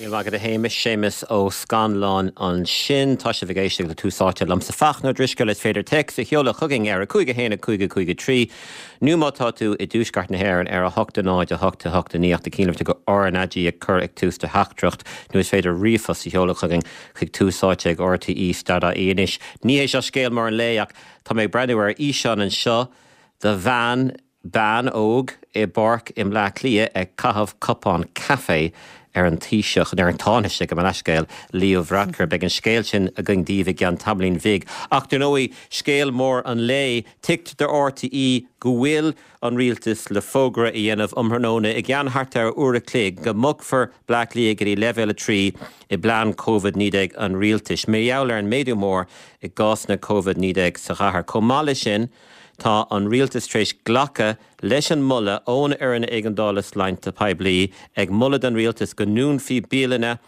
Míle maith agat a Shéamais, Séamus Ó Scanláin ansin. Tá sibh ag éisteacht le Tús Áite liomsa Fachtna Ó Drisceoil. Is féidir téacs a sheoladh chugainn ar 5 1 5 5 3 nó má tá tú i dtuaisceart na hÉireann ar 8 0 8 8 9 ach do chinnlitir go RnaG a chur ag tús do theachtaireacht nó is féidir ríomhphost a sheoladh chugainn chuig Tús Áite ag RTÉ stad.ie. Anois, ní hé seo scéal mór an lae ach tá mé ag breathnú ar fhíseán anseo de bhean Bean óg i bpáirc i mBleá Cliath ag caitheamh cupán caife ar an Taoiseach, nó ar an Tánaiste, gabh mo leithscéal, Leo Varadkar. Beidh an scéal sin againn daoibh i gceann tamaillín bhig. Ach dar ndóigh, scéal mór an lae, tuigtear do RTÉ go bhfuil an Rialtas le fógra a dhéanamh um thráthnóna i gceann thart ar uair a chloig go mbogfar Bleá Cliath go dtí Leibhéal 3 i bplean Covid-19 an Rialtais, mar gheall ar an méadú mór i gcásanna Covid-19 sa chathair. Chomh maith leis sin, Tá an Rialtas tar éis glacadh leis an moladh ón Fhoireann Éigeandála Sláinte Poiblí ag moladh don Rialtas go ndúnfaí bialanna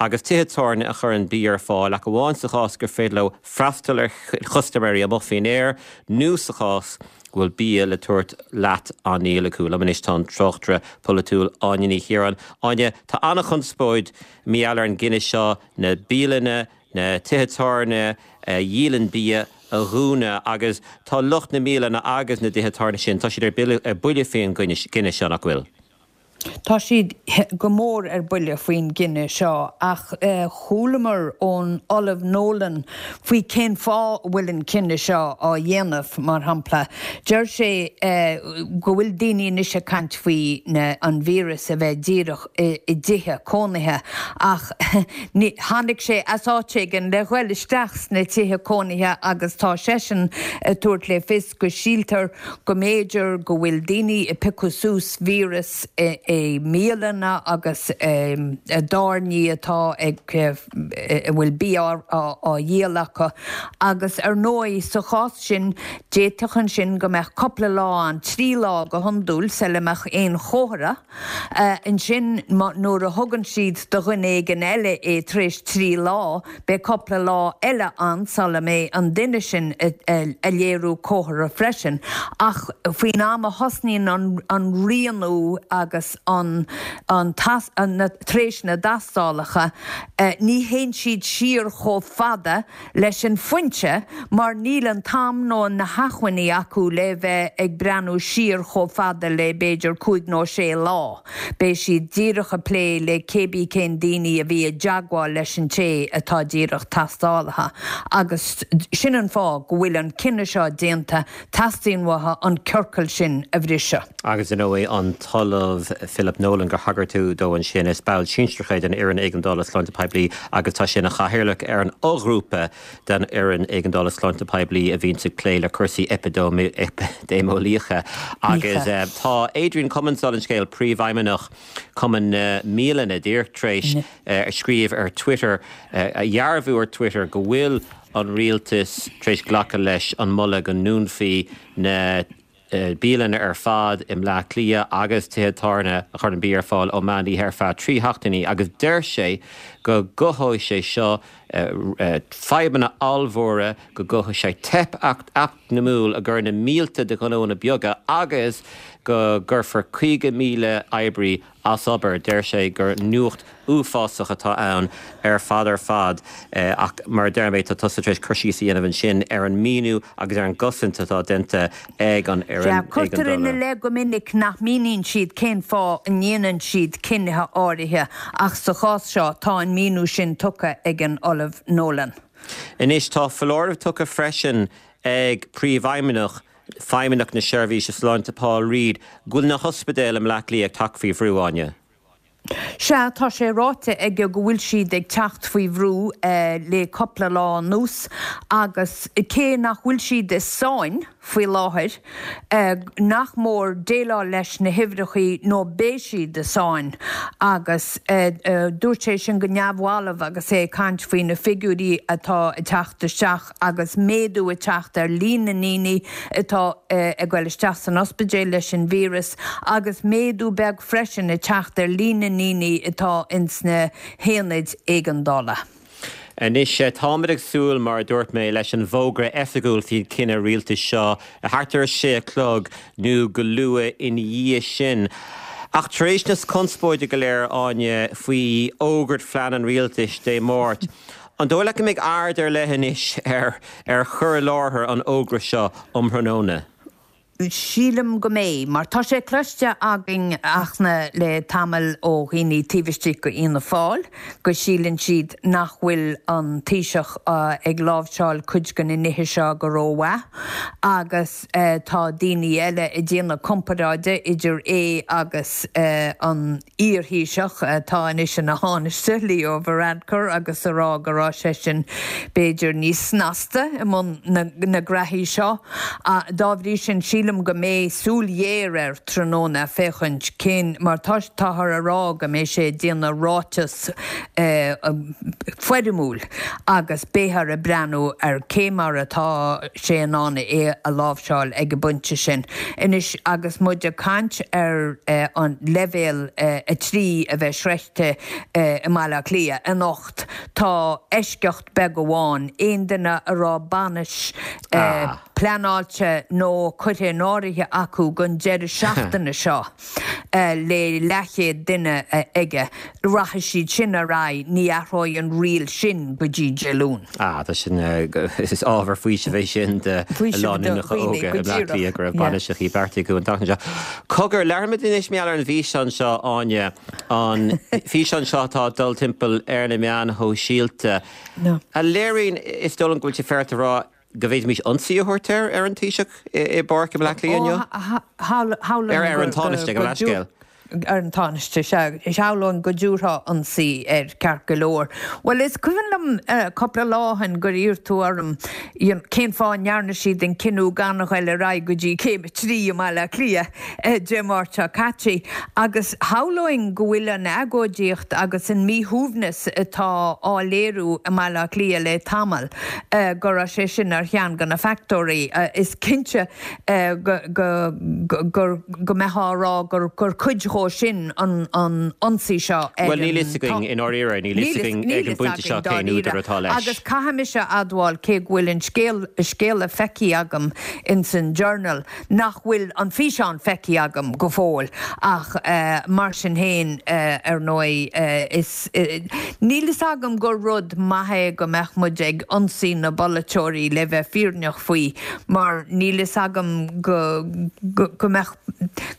agus tithe tábhairne a chuireann bia ar fáil ach amháin sa chás gur féidir leo freastal ar chustaiméirí amuigh faoin aer nó sa chás go bhfuil bia le tabhairt leat á ndíol acu. Liom anois tá an tráchtaire polaitiúil Áine Ní Chiaráin. Áine, tá an-chonspóid mar gheall ar an gcinneadh seo na bialanna, na tithe tábhairne a dhíolann bia a dhúnadh agus tá lucht na mbialanna agus na dtithe tábhairne sin, tá siad ar buile faoin gcinneadh seo, nach bhfuil? Tá siad go mór ar buile faoin gcinneadh seo ach chualamar ón Ollamh Nolan faoi cén fáth a bhfuil an cinneadh seo á dhéanamh, mar shampla. Deir sé go bhfuil daoine anois ag caint faoi an víreas a bheith díreach i dtithe cónaithe ach tháinig sé as áit éigin le ghoil isteach sna tithe cónaithe agus tá seisean ag tabhairt le fios go síltear go mb'fhéidir go bhfuil daoine ag piocadh suas víreas i mbialanna agus i dtábhairní atá ag a bhfuil bia á dhíol acu agus ar ndóigh sa chás sin d'fhéadfadh ansin go mbeadh cúpla lá ann, 3 lá go hiondúil, sula mbeadh aon chomhartha. Ansin, nuair a thugann siad do dhuine éigin eile é tar éis 3 lá, beidh cúpla lá eile ann sula mbeidh an duine sin ag léiriú comhartha freisin. Ach faoin am a thosnaíonn an rianú agus an tar éis na dtástálacha, ní théann siad siar chomh fada leis an phointe mar níl an t-am nó na hacmhainní acu le bheith ag breathnú siar chomh fada le b'fhéidir cúig nó sé lá. Beidh siad díreach ag plé le cébí cén daoine a bhí i dteagmháil leis an té atá díreach tástáilte agus sin an fáth go bhfuil an cinneadh seo déanta Teastaíonn uathu an ciorcal sin a bhriseadh. Agus ar ndóigh an tOllamh Philip Nolan gur thagair tú dó ansin, is ball sinsearach é den Fhoireann Éigeandála Sláinte Poiblí agus tá sé ina chathaoirleach ar an fhoghrúpa den Fhoireann Éigeandála Sláinte Poiblí a bhíonns ag plé le cúrsaí eipidéimeolaíocha. Agus tá Adrian Cummins, dála an scéil, Príomhfheidhmeannach Chumann na mBialanna, díreach tar éis a scríobh ar Twitter, a dhearbhú ar Twitter go bhfuil an rialtas tar éis glacadh leis an moladh go ndúnfaí na bialanna ar fad i mBleá Cliath agus tithe tábhairne a chuireann bia ar fáil ó meán oíche ar feadh 3 sheachtainí agus deir sé go gcothóidh sé seo fadhbanna ollmhóra, go gcothóidh sé teip eacnamúil i gcomhair na mílte de ghnóanna beaga agus go gcuirfear 50,000 oibrí as obair. Deir sé gur nuacht uafásach atá ann ar fad ar fad ach mar a deir mé, tá tusa tar éis cur síos a dhéanamh ansin ar an míniú agus ar an gcosaint atá déanta ag an Fhoireann Sea, cuirtear ina Éigeandála. leith go minic nach míníonn siad cén fáth a ndéanann siad cinnithe áirithe ach sa chás seo tá an míniú sin tugtha ag an Ollamh Nolan. Anois tá foláireamh tugtha freisin ag Príomhfheidhmeannach Feidhmeannacht na Seirbhíse Sláinte Paul Reid go bhfuil na hospidéil i mBleá Cliath ag teacht faoi bhrú, Áine. Sea, tá sé ráite aige go bhfuil siad ag teacht faoi bhrú le cupla lá anuas agus cé nach bhfuil siad i sáinn faoi láthair, nach mór déileáil leis na huimhreachaí nó beidh siad i sáinn agus dúirt sé sin go neamhbhalbh agus é ag caint faoi na figiúirí atá ag teacht isteach. agus méadú ag teacht ar líon na ndaoine atá ag goil isteach san ospidéal leis an víreas agus méadú beag freisin ag teacht ar líon na ndaoine atá ins na haonaid éigeandála. Anois, táimid ag súil, mar a dúirt mé, leis an bhfógra oifigiúil faoin chinneadh rialtais seo thart ar a sé a chlog nó go luath ina dhiaidh sin. Ach tar éis na conspóide go léir, Áine, faoi fhógairt phlean an rialtais Dé Máirt, an dóigh leat go mbeidh aird ar leith anois ar ar chur i láthair an fhógra seo um thráthnóna? Sílim go mbeidh, mar tá sé cloiste againn, Fhachtna, le tamall ó dhaoine taobh istigh de Fhianna Fáil go síleann siad nach bhfuil an Taoiseach ag láimhseáil cuid de na nithe seo go rómhaith agus tá daoine eile ag déanamh comparáide idir é agus an iar-Thaoiseach atá anois ina Thánaiste, Leo Varadkar, agus a rá go raibh seisean b'fhéidir níos snasta i mbun na ngraithí seo. Dá bhrí sin, sílim go mbeidh súil ghéar air tráthnóna féachaint cén mar tá táthar a rá go mbeidh sé ag déanamh ráiteas foirmiúil agus beifear ag breathnú ar cé mar atá sé in ann é a láimhseáil ag an bpointe sin. Anois agus muid ag caint ar an leibhéal 3 a bheith sroichte i mBaile Átha Cliath anocht, tá eisceacht beag amháin, aon duine a raibh bainis pleanáilte nó curtha in áirithe acu don deireadh seachtaine seo, le leathchéad duine aige. Rachaidh siad sin ar aghaidh, ní athróidh an riail sin go dtí Dé Luain. Ah, tá sin, is ábhar faoisimh é sin do lánúineacha óga i mBleá Cliath go raibh bainiseachaí beartaithe acu an tseachtain seo. Cogar, labhraímid anois mar gheall ar an bhfíseán seo, Áine, an físeán seo atá ag dul timpeall ar na meáin shóisialta, a léiríonn, is dóigh liom go bhfuil sé féaráilte a rá, go bhféadfaimis ionsaí a thabhairt air, ar an Taoiseach i bPáirc i mBleá Cliath inniu? Ar ar an Tánaiste, gabh mo leithscéal. Ar an Tánaiste, sea. Shamhlóinn go dtabharfá ionsaí air, ceart go leor. Bhuel, is cuimhin liom cúpla lá ó shin gur iarr tú orm cén fáth a ndearna siad an cinneadh gan a ghoil ar aghaidh go dtí Céim 3 i mBaile Átha Cliath Dé Máirt seo caite. Agus shamhlóinn go bhfuil an agóidíocht agus an míshuaimhneas atá á léiriú i mBaile Átha Cliath le tamall, go raibh sé sin ar cheann de na factóirí. Is cinnte go go mbeifeá a rá gur cuid dhó sin an ionsaí seo ar an. Bhuel, níl fhios againn, i ndáiríre, níl fhios againn ag an bpointe seo cén údar atá leis. Agus caithfidh mise a admháil, cé go bhfuil an scéal, scéala feicthe agam ins an Journal, nach bhfuil an físeán feicthe agam go fóill ach mar sin féin, ar ndóigh, is, níl fhios agam gur rud maith é go mbeadh muid ag ionsaí na bpolaiteoirí le bheith fírinneach faoi mar níl fhios agam go, go mbeadh,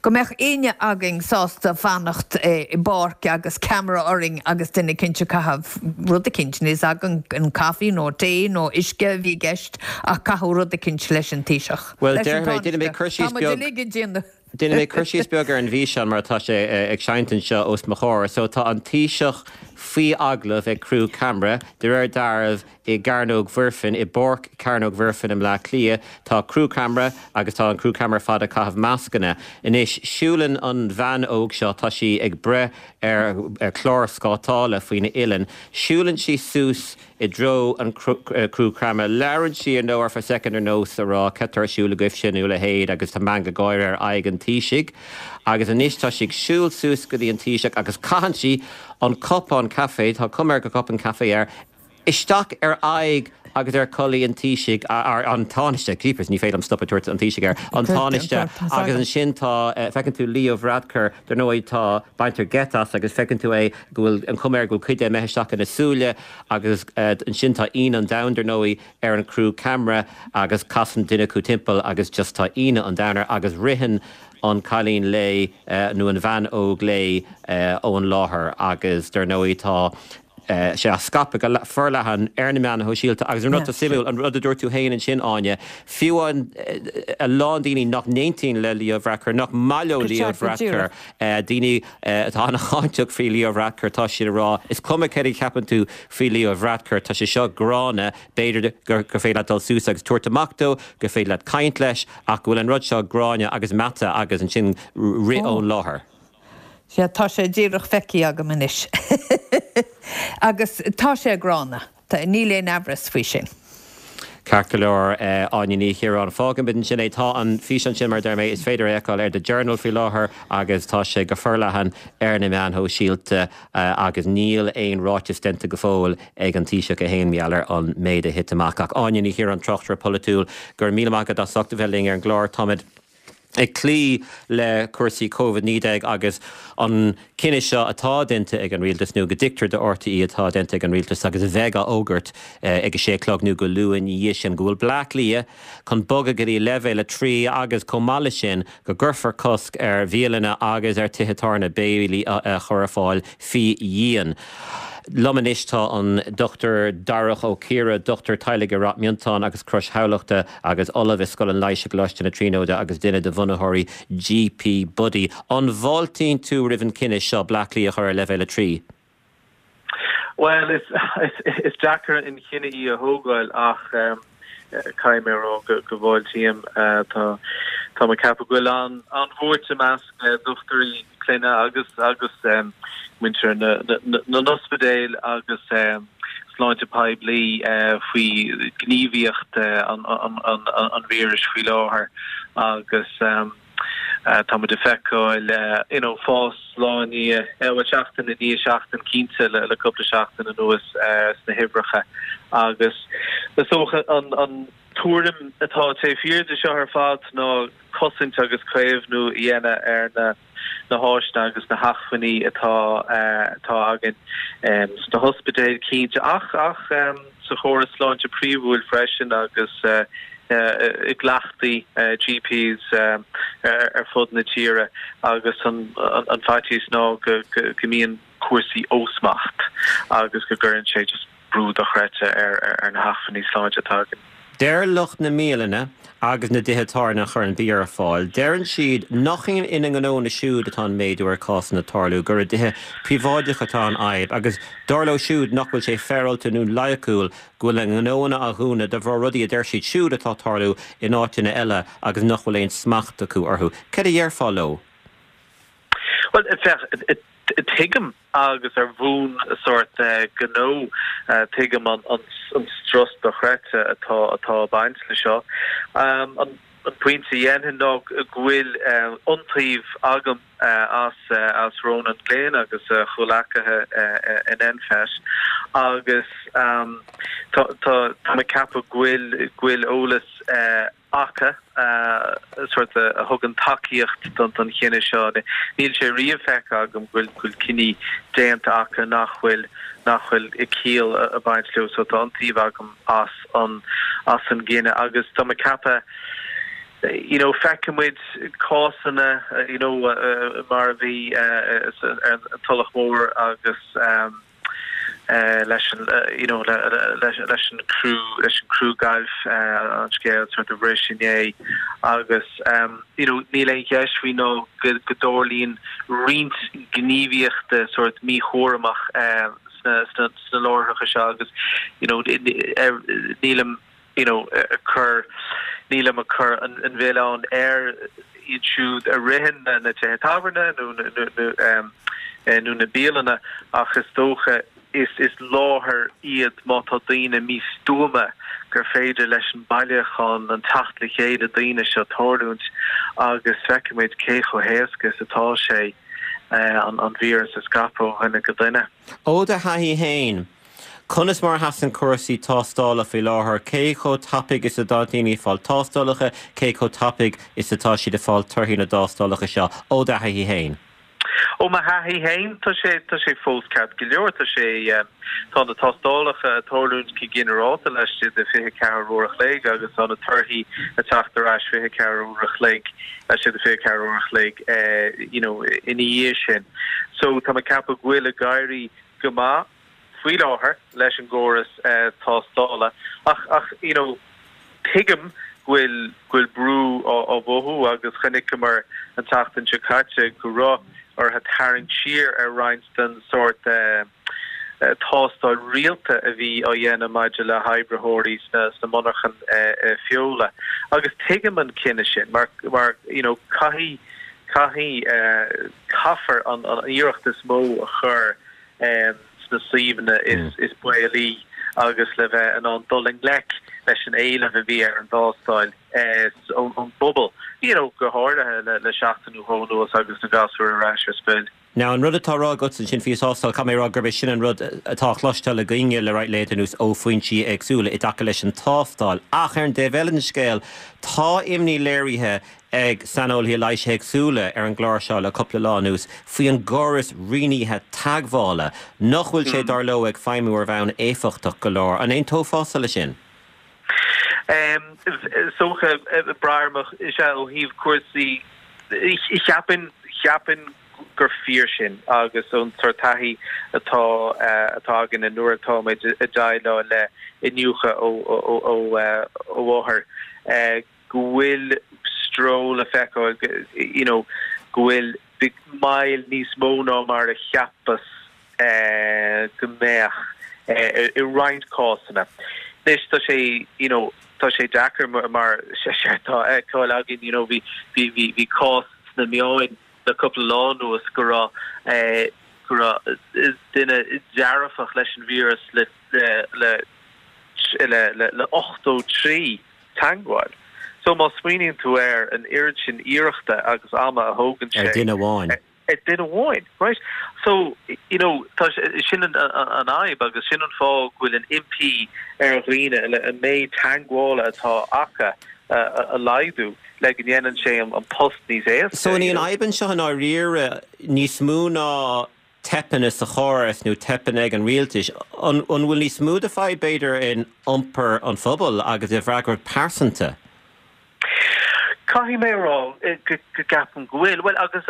go mbeadh éinne againn sásta fanacht i bpáirc agus ceamara orainn agus duine eicínt ag caitheamh rud eicínt, níl fhios agam an caife nó tae nó uisce a bhí i gceist ach caitheadh rud eicínt leis an Taoiseach. Bhuel, déarfaidh mé, déanfaidh mé cur síos beag. Tá muid uilig ag déanamh. Déanfaidh mé cur síos beag ar an bhfíseán mar atá sé ag seinnt anseo os mo chomhair. So tá an Taoiseach faoi agallamh ag criú ceamara, de réir dealraimh i gCearnóg Mhuirfean, i bPáirc Chearnóg Mhuirfean i mBleá Cliath. Tá criú ceamara agus tá an criú ceamara ar fad ag caitheamh mascanna. Anois, siúlann an bhean óg seo, tá sí ag breith ar chlár scátála faoina uillinn, siúlann sí suas i dtreo an criú ceamara. Labhrann sí ar ndóigh ar feadh soicind ar nós a rá cad tá ar siúl agaibhse nó a leithéid agus tá meangadh gáire ar aghaidh an Taoisigh. Agus anois tá sí ag siúl suas go dtí an Taoiseach agus caitheann sí an cupán caife, tá cuma air gur cupán caife é, isteach ar aghaidh agus ar chulaith an Taoisigh, an Tánaiste, jeepers, ní féidir liom stop ag tabhairt an Taoisigh air, an Tánaiste agus ansin tá, feiceann tú Leo Varadkar, dar ndóigh tá, baintear geit as agus feiceann tú é go bhfuil an chuma air go bhfuil cuid de imithe isteach ina súile agus ansin tá ionadh an domhain, dar ndóigh, ar an chriú ceamara agus casann duine acu timpeall agus just tá ionadh an domhain air agus ritheann an cailín léi nó an bhean óg léi ón láthair agus dar ndóigh tá sé á scaipeadh go forleathan ar na meáin shóisialta agus an rud atá suimiúil, an rud a dúirt tú féin ansin, Áine, fiú amháin a lán daoine nach n-aontaíonn le Leo Varadkar, nach maith leo Leo Varadkar, daoine atá an-cháinteach faoi Leo Varadkar, tá siad ag rá, is cuma céard a cheapann tú faoi Leo Varadkar, tá sé seo gránna, b'fhéidir gur féidir leat dul suas agus tabhairt amach dó, gur féidir leat caint leis, ach go bhfuil an rud seo gránna agus meata agus ansin rith ón láthair. Sea, tá sé díreach feicthe agam anois. Agus tá sé gránna. Níl aon amhras faoi sin. Ceart go leor, Áine Ní Chiaráin. Fágfaimid ansin é. Tá an físeán sin, mar a deir mé, is féidir é a fheiceáil ar The Journal faoi láthair agus tá sé go forleathan ar na meáin shóisialta agus níl aon ráiteas déanta go fóill ag an Taoiseach é féin mar gheall ar an méid a thit amach. Ach Áine Ní Chiaráin, tráchtaire polaitiúil, go raibh míle maith agat as ucht a bheith linn ar an gclár. Táimid. Ag cloí le cúrsaí Covid-19 agus an cinneadh seo atá déanta ag an Rialtas, nó go dtuigtear do RTÉ atá déanta ag an Rialtas agus a bheidh á fhógairt ag a sé a chlog nó go luath ina dhiaidh sin, go bhfuil Bleá Cliath chun bogadh go dtí leibhéal 3 agus chomh maith leis sin go gcuirfear cosc ar bhialanna agus ar tithe tábhairne béilí a chur ar fáil faoi dhíon. Liom anois tá an Dr Darach Ó Ciardha, dochtúir teaghlaigh i Ráth Miontáin agus Crois Thamhlachta agus Ollamh i Scoil an Leighis i gColáiste na Tríonóide agus duine de bhunaitheoirí GP Buddy. An bhfáiltíonn tú roimh an chinneadh seo Bleá Cliath a chur ar leibhéal 3? Bhuel, is deacair an chinneadh í a thógáil ach caithfidh mé a rá go bhfáiltím. Tá mé ag ceapadh go bhfuil an-bhuairt i measc dochtúirí clainne agus agus muintir na n-ospidéal agus sláinte poiblí faoi ghníomhaíocht an víris faoi láthair agus Tá muid ag feiceáil you know fás lá i ndiaidh, bhuel seachtain i ndiaidh seachtain cinnte le cúpla seachtain anuas sna huimhreacha agus is dócha an an tuairim atá taobh thiar de seo ar fad ná cosaint agus caomhnú a dhéanamh ar na na háiseanna agus na hacmhainní atá atá againn sna hospidéil cinnte ach ach sa chóras sláinte príomhúil freisin agus i gcleachtaí GPs ar fud na tíre agus an faitíos ná go mbíonn cúrsaí ó smacht agus go gcuireann sé just brú dochreidte ar na hacmhainní sláinte atá againn. Deir lucht na mbialanna agus na dtithe tábhairne a chuireann bia ar fáil, deireann siad nach ina ngnónna siúd atá an méadú ar cásanna ag tarlú, gur i dtithe príobháideacha atá an fhadhb agus dar leo siúd nach bhfuil sé féaráilte nó loighciúil go bhfuil a ngnóanna á dhúnadh de bharr rudaí a deir siad siúd atá ag tarlú in áiteanna eile agus nach bhfuil aon smacht acu orthu. Céard a dhéarfá leo? Bhuel, féach, tuigim agus ar bhonn sórt gnó, tuigim an strus dochreidte atá atá ag baint le seo. An pointe a dhéanfainn ná go bhfuil iontaoibh agam as as Ronan Glynn agus a chomhleacaithe in NPHET agus tá tá mé ag ceapadh go bhfuil go bhfuil eolas acu, sórt a thugann tacaíocht don chinneadh seo. Níl sé riamh feicthe agam go bhfuil cinní déanta acu nach bhfuil nach bhfuil ciall ag baint leo so tá iontaoibh agam as an as an gcinneadh agus tá mé ag ceapadh you know feicfidh muid cásanna you know mar a bhí ar an Tulach Mhór agus leis an you know leis an criú leis an criú gailf an scéal sort a bhris inné agus you know níl aon cheist faoi ná go go dtarlaíonn roinnt gníomhaíochta sort míchúramach sna sna sna láithreacha seo agus you know nílim you know, ag cur, nílim ag cur an mhilleáin ar iad siúd a ritheann na tithe tábhairne nó nó na bialanna ach is dócha is is láthair iad má tá daoine místuama gur féidir leis an bailiúchán, an teacht le chéile daoine seo tarlúint agus feicimid cé chomh héasca is atá sé an víreas a scaipeadh ó dhuine go duine. Ó do thaithí féin, Conas mar a sheasann cúrsaí tástála faoi láthair? Cé chomh tapaidh is atá daoine ag fáil tástálacha? Cé chomh tapaidh is atá siad ag fáil torthaí na dtástálacha seo, ó do thaithí féin? Ó mo thaithí féin, tá sé, tá sé fós ceart go leor. Tá sé, tá na tástálacha ag tarlúint go ginearálta laistigh de 24 uair a chloig agus tá na torthaí ag teacht ar ais 24 uair a chloig, laistigh de 24 uair a chloig, you know, ina dhiaidh sin. So tá mé ag ceapadh go bhfuil ag éirí go maith faoi láthair leis an gcóras tástála ach ach you know tuigim go bhfuil go bhfuil brú á á mhothú agus chonaiceamar an tseachtain seo caite go raibh orthu tarraingt siar ar roinnt den sórt tástáil rialta a bhí á dhéanamh maidir le hoibritheoirí sna sna monarchain feola agus tuigim an cinneadh sin mar mar you know caithfidh caithfidh caithfear an an iarracht is mó a chur sna suíomhanna is baolaí agus le bheith in ann dul i ngleic leis an éileamh a bhí ar an dtástáil ón bpobal, you know, go háirithe le seachtain nó dhó anuas agus na gasúir ar ais ar scoil. Now, an rud atá á rá agat ansin faoi thástáil, caithfidh mé a rá gurb é sin an rud atá á chloisteáil againne le roinnt laethanta anuas ó foinsí éagsúla i dtaca leis an tástáil. Ach ar an dtaobh eile den scéal, tá imní léirithe. ag saineolaithe leighis éagsúla ar an gclár seo le cúpla lá anuas faoi an gcóras rianaithe teagmhála, nach bhfuil sé, dar leo, ag feidhmiú ar bhonn éifeachtach go leor. An aontófása leis sin? Is dócha, braithim, is ea, ó thaobh cúrsaí, cheapfainn, cheapfainn gur fíor sin agus ón sórt taithí atá atá againne nuair atáimid ag déileáil le iniúchadh ó ó ó othair go bhfuil stró le feiceáil you know go bhfuil moill níos mó ná mar a cheapas go mbeadh i roinnt cásanna. Anois tá sé you know tá sé deacair mar tá a fheiceáil againn you know bhí bhí bhí bhí cás sna meáin le cúpla lá anuas go raibh go raibh duine dearfach leis an víreas le le le le le 83 teagmháil. So má smaoiníonn tú ar an oiread sin iarrachta agus ama a thógann sé ar duine amháin. Ar duine amháin, right? So, you know, tá sin an fhadhb agus sin an fáth go bhfuil an impí ar dhaoine an méid teagmhála atá acu a laghdú le go ndéanann sé an post níos éasca. So an í an fhadhb anseo i ndáiríre níos mó ná teipeanna sa chóras nó teipeanna ag an rialtas, an bhfuil níos mó de fadhb b'fhéidir in iompar an phobail agus i bhfreagracht pearsanta? Caithfidh mé a rá go gceapaim go bhfuil. Bhuel, agus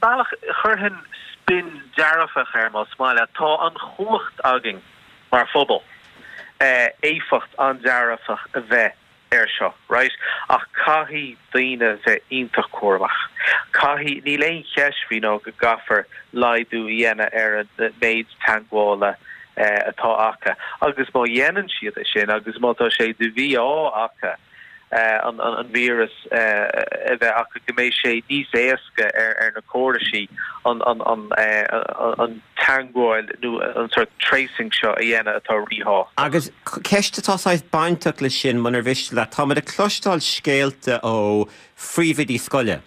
bealach, chuirfinn spin dearfach air más maith leat. Tá an chumhacht againn mar phobal éifeacht an-dearfach a bheith air seo, right? Ach caithfidh daoine bheith iontach cúramach. Caithfidh, níl aon cheist faoi ná go gcaithfear laghdú a dhéanamh ar an méid teagmhála atá acu. Agus má dhéanann siad é sin agus má tá sé de mhí-ádh acu an víreas a bheith acu, go mbeidh sé níos éasca ar na córaisí an teagmháil nó an sórt tracing seo a dhéanamh atá ríthábhachtach. Agus ceist atá saghas bainteach leis sin, munar mhiste leat, táimid ag cloisteáil scéalta ó phríomhoidí scoile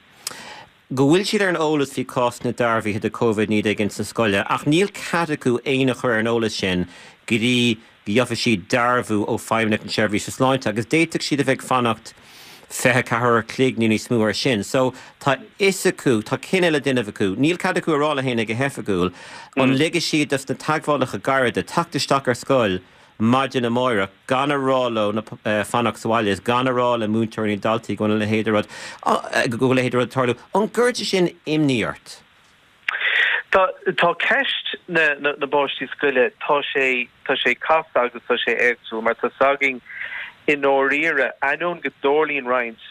go bhfuil siad ar an eolas faoi cásanna dearbhaithe de Covid-19 ins na scoile ach níl cead acu éinne a chur ar an eolas sin go dtí go gheobhaidh siad dearbhú ó Feidhmeannacht na Seirbhíse Sláinte agus d'fhéadfadh siad a bheith ag fanacht 24 uair a chloig nó níos mó ar sin. So tá fhios acu, tá cinneadh le déanamh acu. Níl cead acu a rá le héinne go hoifigiúil an ligfidh siad dos na teagmhálacha gairide teacht isteach ar scoil maidin amáireach gan a rá leo fanacht sa bhaile is gan a rá le múinteoirí nó daltaí go bhfuil a leithéid de rud, go bhfuil a leithéid de rud ag tarlú. An gcuireann sé sin imní ort? Tá, tá ceist na, na, na bpáistí scoile, tá sé, tá sé casta agus tá sé éagsúil mar tá 's againn i ndáiríre, ainneoin go dtarlaíonn roinnt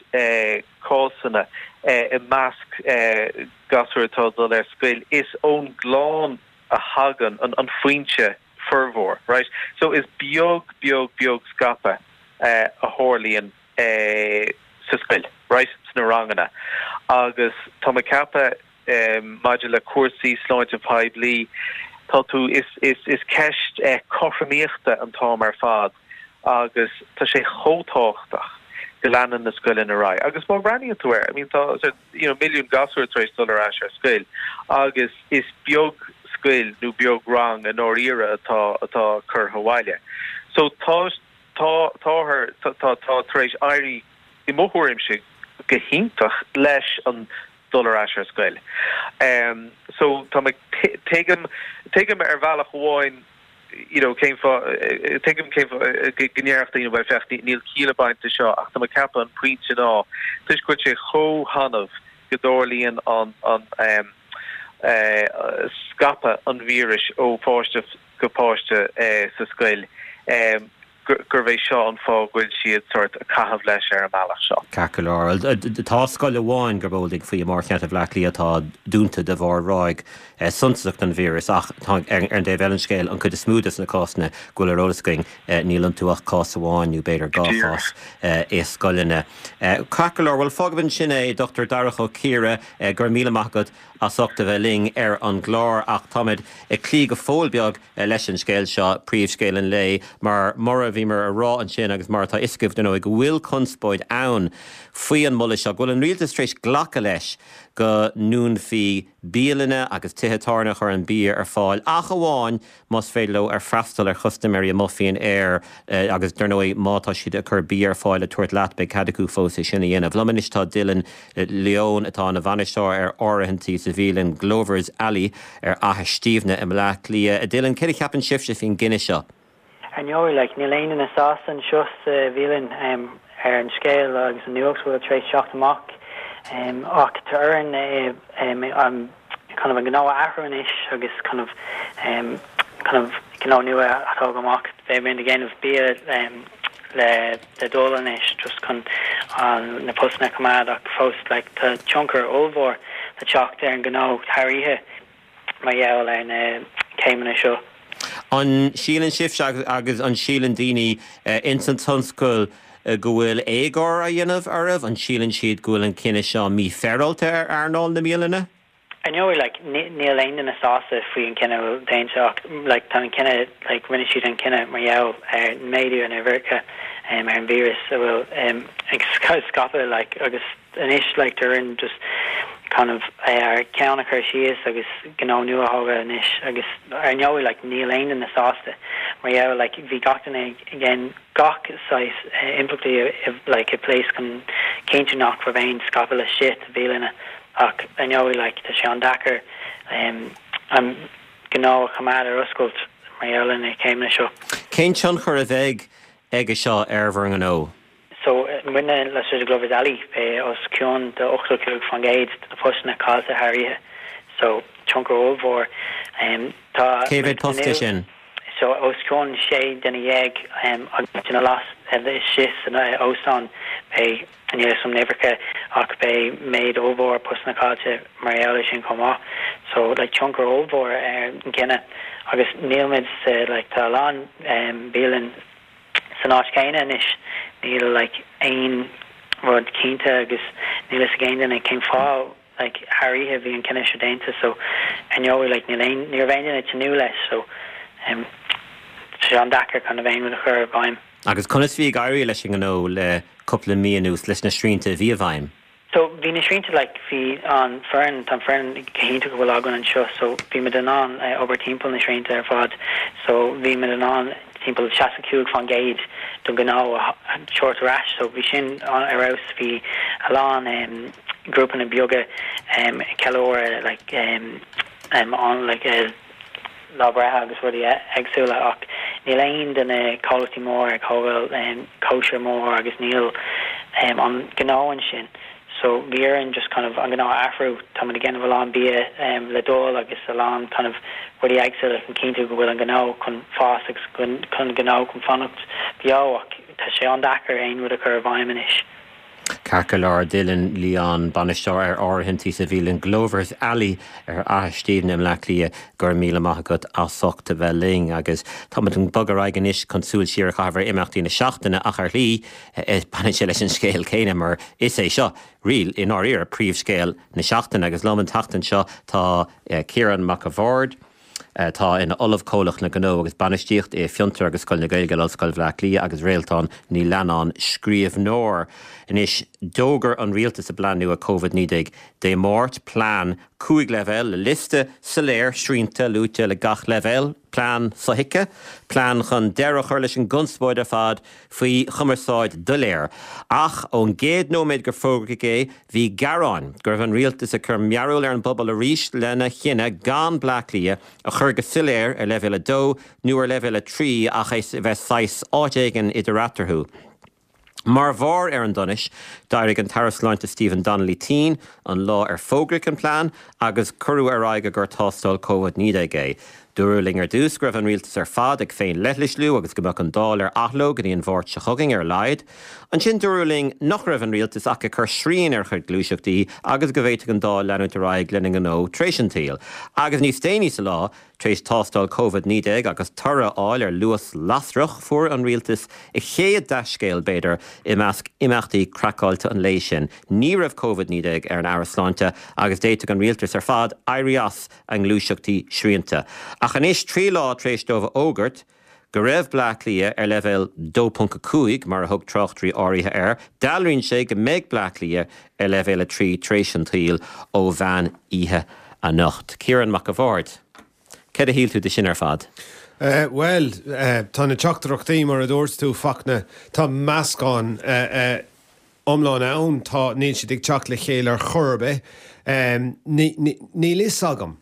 cásanna i measc gasúir atá ag dul ar scoil, is ón gclann a thagann an, an foinse formhór, right? So is beag, beag, beag scaipeadh a tharlaíonn sa scoil, right, sna ranganna agus tá mé ag ceapadh maidir le cúrsaí sláinte poiblí, tá tú, is, is, is ceist cothromaíochta an t-am ar fad agus tá sé chomh tábhachtach go leanann na scoileanna ar aghaidh. Agus má bhreathnaíonn tú air, I mean tá you know milliún gasúr tar éis dul ar ais ar scoil agus is beag scoil nó beag rang i ndáiríre atá, atá curtha abhaile. So tá, tá, táthar, tá, tá, tá tar éis éirí i mo thuairimse go hiontach leis an dul ar ais ar scoil. So tá mé, tuigim, tuigim ar bhealach amháin you know cén fáth, tuigim cén fáth go ndéarfadh daoine bhuel féach níl ciall ag baint de seo ach tá mé ag ceapadh an pointe ná toisc go bhfuil sé chomh hannamh go dtarlaíonn an, an scaipeadh an víris ó pháiste go páiste sa scoil. gurbh é seo an fáth go bhfuil siad sórt ag caitheamh leis ar an mbealach seo. Ceart go leor. Tá scoil amháin gurb eol duinn faoi i mórcheantar Bhaile Átha Cliath atá dúnta de bharr ráig suntasach den víreas ach tá, ar an dtaobh eile den scéal, an chuid is mó de na cásanna go bhfuil ar eolas againn, níl iontu ach cás amháin nó b'fhéidir dhá chás i scoileanna. Ceart go leor. Bhuel, fágfaimid ansin é, Dr Darach Ó Ciardha, go raibh míle maith agat as ucht a bheith linn ar an gclár ach táimid ag cloí go fóill beag leis an scéal seo, príomhscéal an lae, mar mar a bhíomar a rá ansin agus mar atá a fhios agaibh, dar ndóigh, go bhfuil conspóid ann faoi an moladh seo, go bhfuil an rialtas tar éis glacadh leis go. go ndúnfaí bialanna agus tithe tábhairne a chuireann bia ar fáil ach amháin más féidir leo ar freastal ar chustaiméirí amuigh faoin aer agus dar ndóigh má tá siad ag cur bia ar fáil le tabhairt leat beidh cead acu fós é sin a dhéanamh. Liom anois tá Dylan Lyon atá ina bhainisteoir ar áirithintí sa bhialann Glovers Alley ar Fhaiche Stiabhna i mBleá Cliath. Dylan, céard a cheapann sibhse faoin gcinneadh seo? Ar ndóigh, like, níl aon duine sásta anseo sa bhialann ar an scéal agus an nuacht a bhfuil tar éis teacht amach ach tá orainn kind of an gnó a athrú anois agus kind of kind of gnó nua a thógáil amach. Beidh muid ag déanamh bia le le dul anois just chun na postanna a choimeád ach fós like tá tionchar ollmhór le teacht ar an ngnó thar oíche. mar gheall ar na céimeanna seo. An síleann sibhse agus an síleann daoine ins an tionscal go bhfuil éagóir á dhéanamh oraibh? An síleann siad go bhfuil an cinneadh seo mífhéaráilte ar earnáil na mbialanna? Ar ndóigh, like, níl aon duine sásta faoi an cinneadh a bhfuil déanta ach, like, tá an cinneadh, like, rinne siad an cinneadh mar gheall ar an méadú in uimhreacha ar an víreas a bhfuil ag scaipeadh, like, agus anois like tá orainn just kind of ár gceann a chur síos agus gnó nua a thógáil anois agus ar ndóigh like níl aon duine sásta mar gheall like bhí gach duine ag déanamh gach saghas impleachtaí like i place chun cinntiú nach raibh aon scaipeadh laistigh de bhialanna ach ar ndóigh like tá sé an-deacair an gnó a choimeád ar oscailt mar gheall ar na céimeanna seo. Cén tionchar a bheidh aige seo ar bhur ngnó? So, muidne laistigh de Glovers Alley, beidh os cionn de 85% de na postanna caillte thar oíche. So, tionchar ollmhór. Tá. Cé mhéad post é sin? So, os cionn 16 duine agus duine laistigh san óstán, beidh, níl a fhios agam na huimhreacha ach beidh méid ollmhór postanna caillte mar gheall air sin chomh maith. So, like, tionchar ollmhór ar an gcinneadh. Agus níl muid sa, like, tá a lán bialann, san áit chéanna anois. Níl like aon rud cinnte agus níl fhios ag aon duine cén fáth like thar oíche bhí an cinneadh seo déanta so ar ndóigh like níl aon ní raibh aon duine ag tnúth leis so um tá sé an-deacair kind of aon rud a chur i bhfeidhm. Agus conas bhí ag éirí leis an ngnó le cúpla mí anuas leis na srianta a bhí i bhfeidhm? So bhí na srianta like bhí an foireann, tá an foireann go hiontach a bhfuil againn anseo so bhí muid in ann obair timpeall na srianta ar fad so bhí muid in ann timpeall 65% den ghnó a thabhairt ar ais so bhí sin ar fheabhas bhí a lán grúpanna beaga ceiliúradh like an like lá breithe agus rudaí éagsúla ach níl aon de na comhlachtaí mór ag tógáil cóisir mór agus níl an gnó ansin so bhí orainn just kind of an gnó a athrú. Tá muid ag déanamh a lán bia le dul agus a lán kind of rudaí éagsúla chun cinntiú go bhfuil an gnó chun fás agus chun an gnó chun fanacht beo ach tá sé an-deacair aon rud a chur i bhfeidhm anois. Ceart go leor, Dylan Lyon, bainisteoir ar áirithintí sa bhialann Glovers Alley ar Fhaiche Stiabhna i mBleá Cliath, go raibh míle maith agat as ucht a bheith linn. Agus táimid ag bogadh ar aghaidh anois chun súil siar a chaitheamh ar imeachtaí na seachtaine ach ar shlí baineann sé leis an scéal céanna mar is é seo, really, i ndáiríre, príomhscéal na seachtaine. Agus liom an tseachtain seo tá Ciarán Mac a' Bhaird, atá ina Ollamh Comhlach na Gnó agus Bainistíocht i Fiontar agus Scoil na Gaeilge in Ollscoil Bhaile Átha Cliath agus Réaltán Ní Leannáin, scríbhneoir. Anois, d'fhógair an rialtas a bplean nua Covid-19 Dé Máirt, plean 5 leibhéal le liosta soiléir srianta luaite le gach leibhéal, plean sothuigthe, plean chun deireadh a chur leis an gconspóid ar fad faoi chumarsáid doiléir. Ach ón gcéad nóiméad gur fógraíodh é, bhí gearáin go raibh an rialtas ag cur mearbhall ar an bpobal arís lena chinneadh gan Bleá Cliath a chur go soiléir ar leibhéal 2 nó ar leibhéal 3 ach é a bheith saghas áit éigin idir eatarthu. Mar bharr ar an donais, d'éirigh an tAire Sláinte Stephen Donnelly tinn an lá ar fógraíodh an plean agus cuireadh ar aghaidh i gcomhair tástáil Covid-19 é. Dúradh linn ar dtús go raibh an rialtas ar fad ag féin-leithlisliú agus go mbeadh an Dáil ar athló go dtí an Mháirt seo chugainn ar a laghad. Ansin dúradh linn nach raibh an rialtas ach ag cur srian ar a chuid gluaiseachtaí agus go bhféadfadh an Dáil leanúint ar aghaidh lena ngnó tar éis an tsaoil. Agus níos déanaí sa lá, tar éis tástáil Covid-19 agus toradh a fháil ar luas lasrach, fuair an rialtas a chéad dea-scéal, b'fhéidir, i measc imeachtaí craiceáilte an lae sin. Ní raibh Covid-19 ar an Aire Sláinte agus d'fhéadfadh an rialtas ar fad éirí as a ngluaiseachtaí srianta. Ach anois, trí lá tar éis dóibh a fhógairt. go raibh Bleá Cliath ar leibhéal 2.5, mar a thug tráchtairí áirithe air, dealraíonn sé go mbeidh Bleá Cliath ar leibhéal 3 tar éis an tsaoil ó mheán oíche anocht. Ciarán Mac a' Bhaird, céard a shíl tú de sin ar fad? Bhuel, tá na teachtaireachtaí, mar a dúirt tú, Fachtna, tá meascán iomlán ann, tá, níl siad ag teacht le chéile ar chor ar bith. Níl fhios agam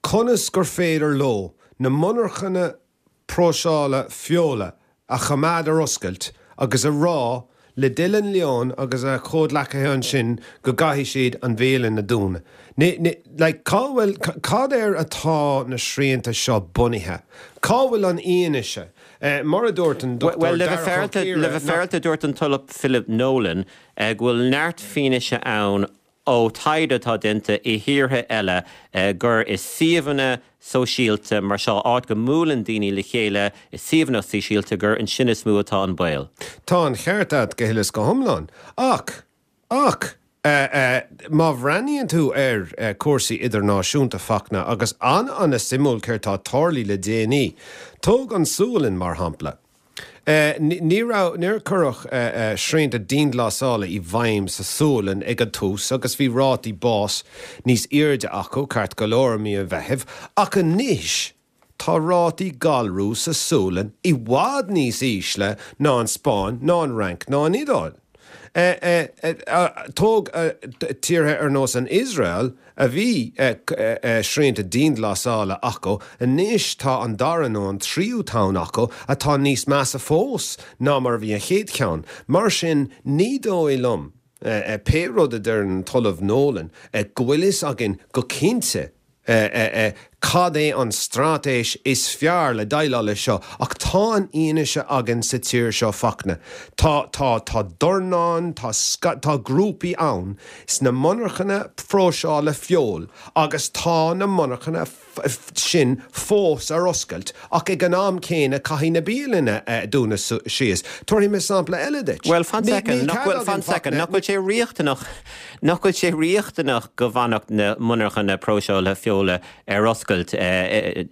conas gur féidir leo na monarchana próiseála feola a choimeád ar oscailt agus a rá le Dylan Leon agus a chomhghleacaithe ansin go gcaithfidh siad an bhialann a dúnadh. Like, cá bhfuil, cad air atá na srianta seo bunaithe? Cá bhfuil an fhianaise? Mar a dúirt an Dr. Bhuel, le bheith Darach Ó féaráilte, le bheith féaráilte dúirt an tOllamh Philip Nolan go bhfuil neart fianaise ann ó taighde atá déanta i thíortha eile gur i suíomhanna sóisialta mar seo, áit go mbuaileann daoine le chéile i suíomhanna sóisialta, gur ansin is mó atá an baol. Tá an cheart agat go huile is go hiomlán. Ach, ach, má bhreathnaíonn tú ar cúrsaí idirnáisiúnta, Fachtna, agus an-an-suimiúil céard tá tarlaithe le déanaí. Tóg an Sualainn, mar shampla. Ní raibh, níor cuireadh srianta dianghlasála i bhfeidhm sa Sualainn ag an tús agus bhí rátaí báis níos airde acu, ceart go leor, i mí an Mheithimh, ach anois tá rátaí galrú sa Sualainn i bhfad níos ísle ná an Spáinn ná an Fhrainc ná an Iodáil. Tóg tíortha ar nós an Iosrael, a bhí srianta dianghlasála acu, anois tá an dara nó an tríú tonn acu atá níos measa fós ná mar a bhí an chéad cheann. Mar sin, ní dóigh liom, pé rud a deireann an tOllamh Nolan, go bhfuil fhios againn go cinnte cad é an straitéis is fearr le déileáil leis seo, ach tá an fhianaise againn sa tír seo, Fachtna. Tá, tá, tá dornán, tá, tá grúpaí ann sna monarchana próiseála feoil agus tá na monarchana sin fós ar oscailt ach ag an am céanna caithfidh na bialanna dúnadh síos. Tabharfaidh mé sampla eile duit. Bhuel, fan soicind, nach bhfuil, fan soicind, nach bhfuil sé riachtanach, nach bhfuil sé riachtanach go bhfanfadh na monarchana próiseála feola ar oscailt,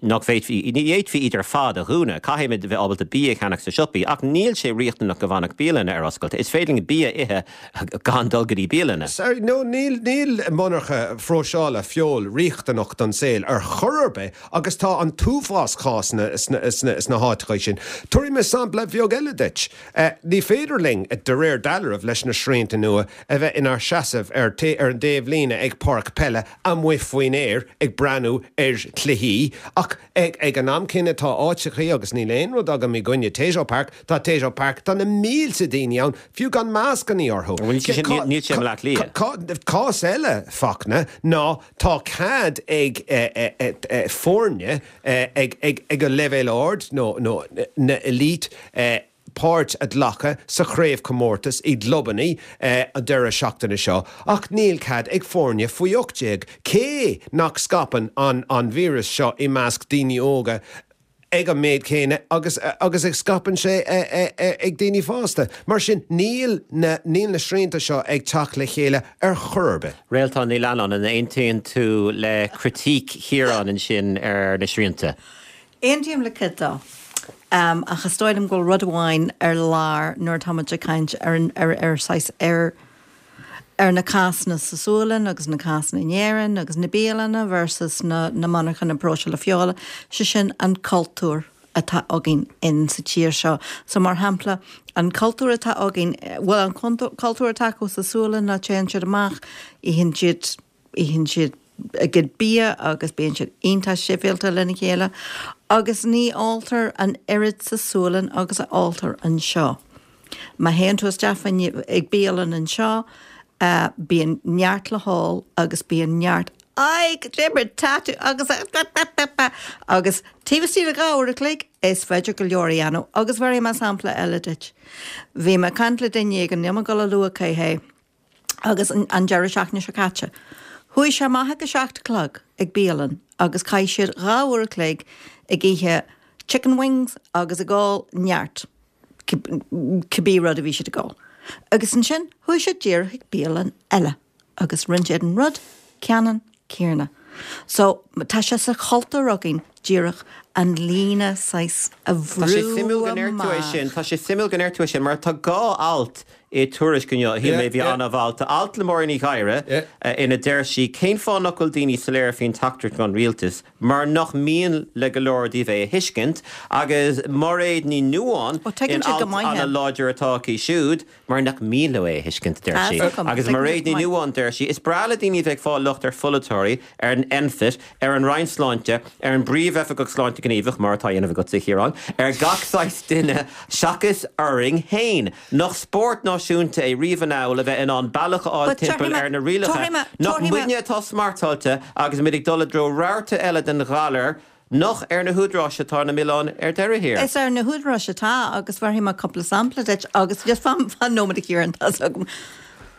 nach bhféadfaí, ní fhéadfaí iad ar fad a dhúnadh, caithfimid a bheith ábalta bia a cheannach sna siopaí ach níl sé riachtanach go bhfanfadh bialanna ar oscailt. Is féidir linn bia a ithe gan dul go dtí bialanna. Sorry, no, níl, níl monarcha phróiseála feoil riachtanach don saol ar chor ar bith agus tá an t-uafás cásanna sna, sna, sna háiteacha sin. Tabharfaidh mé sampla bheag eile duit. Ní féidir linn, de réir dealraimh, leis na srianta nua, a bheith inár seasamh ar, ar an dtaobhlíne ag páirc peile amuigh faoin aer ag breathnú ar chluichí ach ag, ag an am céanna tá áiteachaí, agus níl aon rud agam i gcoinne Tayto Park, tá Tayto Park, tá na mílte daoine ann, fiú gan mascannaí orthu. Níl sé i mBleá Cliath. Cás eile, Fachtna, ná tá cead ag foirne ag an leibhéal ard, nó na elite, páirt a ghlacadh sa chraobhchomórtas i gclubanna an deireadh seachtaine seo ach níl cead ag foirne faoi 18, cé nach scaipeann an víreas seo i measc daoine óga ag an méid céanna agus agus a scaipeann sé ag daoine fásta. Mar sin, níl na níl na srianta seo ag teacht le chéile ar chor ar bith. Réaltán Ní Leannáin, an aontaíonn tú le critíc Chiaráin ansin ar na srianta? Aontaím le cuid dó. Ach is dóigh liom go bhfuil rud amháin ar lár nuair atá muid ag caint ar an ar ar saghas ar ar na cásanna sa Sualainn agus na cásanna in Éirinn agus na bialanna versus na na monarchana próiseála feola, sé sin an cultúr atá againn in sa tír seo. So mar shampla, an cultúr atá againn, bhuel an cultúr atá acu sa Sualainn ná téann siad amach, itheann siad, itheann siad a gcuid bia agus bíonn siad iontach sibhialta lena chéile agus ní óltar an oiread sa Sualainn agus a óltar anseo. Má théann tú isteach fá ag bialann anseo, bíonn neart le hól agus bíonn neart Aye, cad é mar tá tú agus agus taobh istigh de dhá uair a chloig is féidir go leor a dhéanamh agus bhéarfaidh mé sampla eile duit. Bhí mé ag caint le duine éigin, níl mé ag dul a lua cé hé, agus an deireadh seachtaine seo caite. Chuaigh sé amach ag a seacht a chlog ag bialann agus chaith siad dhá uair a chloig ag ithe chicken wings agus ag ól neart. cibé rud a bhí siad ag ól. Agus ansin chuaigh siad díreach chuig bialann eile agus rinne siad an rud ceannann céanna. So tá sé sa chultúr againn díreach. An líne saghas a Tá sé bhrú suimiúil go ndeir tú é amach. sin, tá sé suimiúil go ndeir tú é sin, mar tá dhá alt i Tuairisc inniu a shíl mé a bhí an-mhaith. Tá alt le Máirín Uí Ghadhra ina deir sí cén fáth nach bhfuil daoine soiléir faoin teachtaireacht ón rialtas, mar nach mian le go leor díobh é a thuiscint, agus Máiréad Ní Nuadháin Ó, tuigeann in siad go alt maith é. an-láidir atá aici siúd, Mar nach mian leo é a thuiscint, a deir sí. Agus Mairéad Ní Nuadháin, deir sí, is breá le daoine a bheith ag fáil locht ar pholaiteoirí, ar an NPHET, ar an Roinn Sláinte, ar an bPríomhoifigeach Sláinte Gníomhach, mar atá á dhéanamh agatsa, a Chiaráin, ar gach saghas duine seachas orainn féin. Nach spórt náisiúnta é riamh anall a bheith in ann bealach a fháil timpeall ar na rialacha? Nach muidne atá smartáilte agus muid ag dul i dtreo rabharta eile den ghalar? Nach ar na húdaráis atá na milleáin ar deireadh thiar? Is ar na húdaráis atá agus bhéarfaidh mé cúpla sampla duit agus just fan, fan nóiméad a Chiaráin, tá's agam.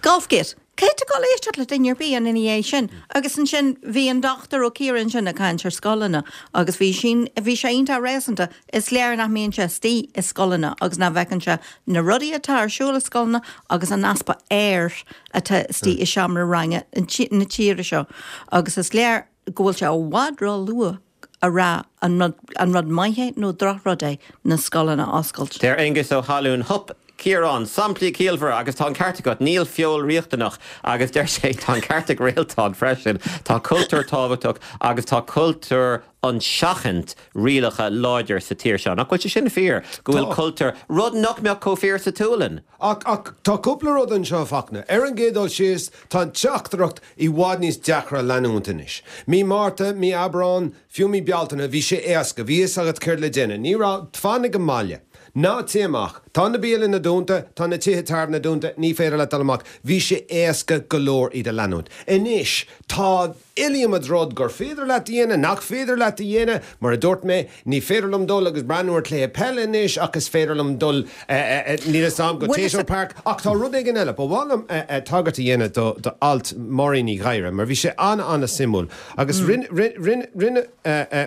Golfgate. Caithfidh tú dul éisteacht le duine ar bith ina dhiaidh sin. Agus ansin bhí an Dochtúir Ó Ciaráin ansin ag caint ar scoileanna agus bhí sin, bhí sé iontach réasúnta. Is léir nach mbíonn sé istigh i scoileanna agus nach bhfeiceann sé na rudaí atá ar siúl i scoileanna agus an easpa aeir atá istigh i seomra ranga na tíre seo. Agus is léir go bhfuil sé i bhfad ró-luath a rá an rud an rud maith é nó drochrud é na scoileanna a oscailt. Deir Aengus Ó hAllúin, Hup, Ciarán, samplaí ciallmhara agus tá an ceart agat, níl feoil riachtanach agus deir sé tá an ceart ag Réaltán freisin, tá cultúr tábhachtach agus tá cultúr an seachaint rialacha láidir sa tír seo. Nach bhfuil sé sin fíor, go bhfuil cultúr, rud nach mbeadh chomh fíor sa tSualainn? Ach, ach, tá cúpla rud anseo, a Fachtna. Ar an gcéad dul síos, tá an teachtaireacht i bhfad níos deacra a leanúint anois. Mí Márta, mí Aibreán, fiú mí Bealtaine, bhí sé éasca, bhí fhios agat céard le déanamh. Ní raibh, fan ag an mbaile. Ná téigh amach. Tá na bialanna dúnta, tá na tithe tábhairne dúnta, ní féidir leat dul amach. Bhí sé éasca go leor iad a leanúint. Anois, tá. iliomad rud gur féidir leat a dhéanamh, nach féidir leat a dhéanamh. Mar a dúirt mé, ní féidir liom dul agus breathnú ar chluiche peile anois ach is féidir liom dul, níl fhios a'm, go Tayto Park. Ach tá rud éigin eile. Ba mhaith liom tagairt a dhéanamh do alt Máirín Uí Ghadhra mar bhí sé an-an-suimiúil agus rinne, rinne, rinne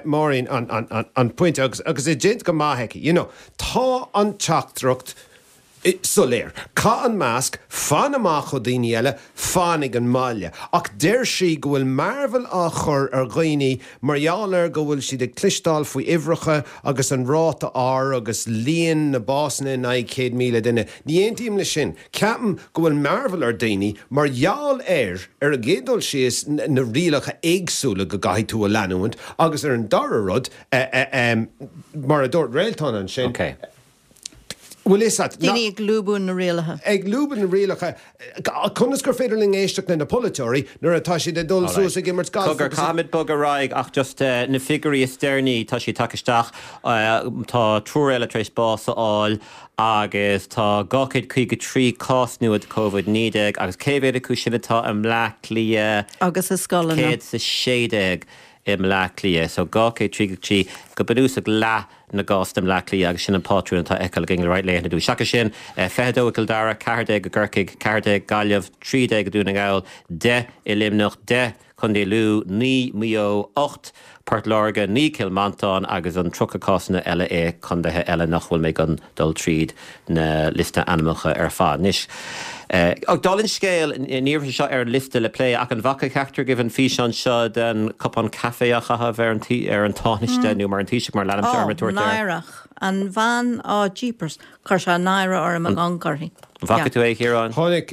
Máirín an pointe agus agus é déanta go maith aici. You know, tá an teachtaireacht soiléir. Caith an masc, fan amach ó daoine eile, fan ag an mbaile. Ach deir sí go bhfuil mearbhall á chur ar dhaoine mar gheall ar go bhfuil siad ag cloisteáil faoi uimhreacha agus an ráta R agus líon na básanna in aghaidh 100,000 duine. Ní aontaím leis sin. Ceapaim go bhfuil mearbhall ar daoine mar gheall ar, ar an gcéad dul síos, na rialacha éagsúla go gcaithfidh tú a leanúint agus ar an dara rud, mar a dúirt Réaltán ansin, Bhfuil fhios a't, na. Daoine ag lúbadh na rialacha. Ag lúbadh na rialacha. Conas gur féidir linn éisteacht le na polaiteoirí nuair atá siad ag dul suas ag imirt gailf Cogar, agus ag. caithfimid bogadh ar aghaidh ach just na figiúirí is deireanaí, tá siad tagtha isteach, tá triúr eile tar éis bás a fháil agus tá 253 cás nua de Covid-19 agus cé mhéad acu sin atá i mBleá Cliath? Agus i scoileanna. 116 i mBleá Cliath. So 233, go bunúsach leath na gcásanna i mBleá Cliath agus sin an pátrún atá á fheiceáil againn le roinnt laethanta anuas. Seachas sin, 22 i gCill Dara, 14 i gCorcaigh, 14 Gaillimh, 13 i Dún na nGall, 10 i Luimneach, 10 Contae Lú, 9 Maigh Eo, 8 Port Láirge, 9 Cill Mhantáin agus an 30 cásanna eile i contaetha eile nach bhfuil mé chun dul tríd na liosta ainmneacha ar fad anois. Ach dála an scéil, ní raibh sé seo ar an liosta le plé ach an bhfaca ceachtar agaibh an físeán seo den cupán caife á chaitheamh ar an ar an Tánaiste nó mar an Taoiseach mar a leanaimse orm ag Ó, tabhairt air? náireach. An bhean, ó, jeepers, chuir sé náire orm ag amharc uirthi. An bhfaca tú é, a Chiaráin? Chonaic,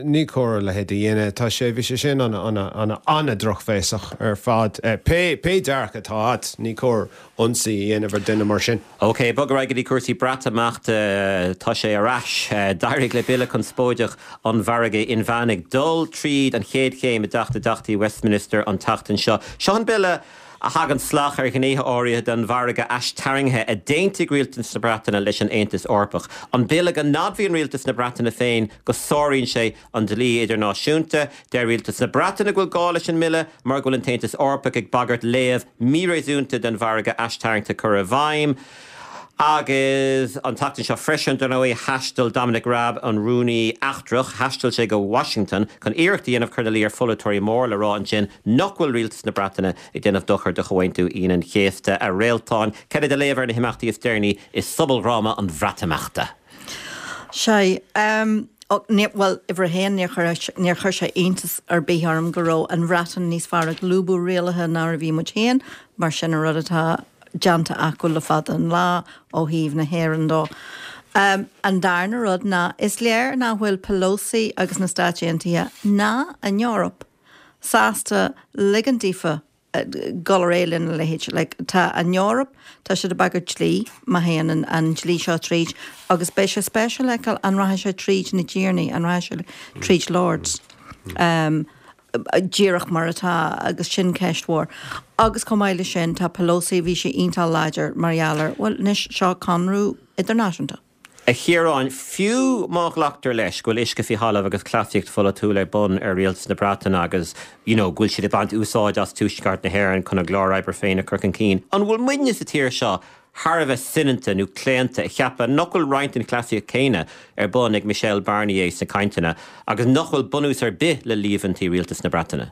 ní cóir a leithéid a dhéanamh. Tá sé, bhí sé sin ana, ana, ana, ana-drochbhéasach ar fad. Pé, pé dearcadh atá agat, ní cóir ionsaí a dhéanamh ar duine mar sin. Ok, bog ar aghaidh go dtí cúrsaí Breatimeachta. Tá sé ar ais. D'éirigh le bille conspóideach an mhargaidh inmheánaigh dul tríd an chéad chéim i dTeach na dTeachtaí Westminster an tseachtain seo. Seo an bille a thagann salach ar ghnéithe áirithe den mhargadh aistarraingthe a d'aontaigh rialtas na Breataine leis an Aontas Eorpach. An bille go n-admhaíonn rialtas na Breataine féin go sáraíonn sé an dlí idirnáisiúnta. Deir rialtas na Breataine go bhfuil gá leis an mbille mar go bhfuil an tAontas Eorpach ag bagairt léamh míréasúnta den mhargadh aistarraingthe a chur i bhfeidhm. Agus an tseachtain seo freisin, dar ndóigh, thaistil Dominic Raab, an Rúnaí Eachtrach, thaistil sé go Washington chun iarracht a dhéanamh cur ina luí ar pholaiteoirí mór le rá ansin nach bhfuil rialtas na Breataine ag déanamh dochar do Chomhaontú Aoine an Chéasta. A Réaltáin, cad é do léamh ar na himeachtaí is deireanaí i sobaldhráma an Bhreatimeachta? Sea, bhuel, uimhir a haon, níor chuir, níor chuir sé iontas ar bith orm go raibh an Bhreatain níos fearr ag lúbadh rialacha ná a bhí muid féin, mar sin an rud atá. déanta acu le fada an lá ó thaobh na hÉireann dó. An darna rud ná is léir nach bhfuil Pelosi agus na Stáit Aontaithe ná an Eoraip sásta ligint daofa dul ar aghaidh lena leithéid. Like, tá an Eoraip, tá siad ag bagairt dlí má théann an, an dlí seo tríd agus beidh sé spéisiúil a fheiceáil an rachaidh sé tríd na dTiarnaí, an rachaidh sé tríd Lords. Um, díreach mar atá agus sin ceist mhór. Agus chomh maith leis sin tá Pelosi, bhí sí iontach láidir mar gheall ar, bhuel anois seo conradh idirnáisiúnta. A Chiaráin, fiú má ghlactar leis go bhfuil uisce faoi thalamh agus cleasaíocht pholaitiúil ar bun ar rialtas na Breataine agus you know go bhfuil siad ag baint úsáid as Tuaisceart na hÉireann chun a gclár oibre féin a chur chun cinn, an bhfuil muidne sa tír seo thar a bheith soineanta nó claonta a cheapadh nach bhfuil roinnt den chleasaíocht chéanna ar bun ag Michel Barnier sna cainteanna agus nach bhfuil bunús ar bith le líomhaintí rialtas na Breataine?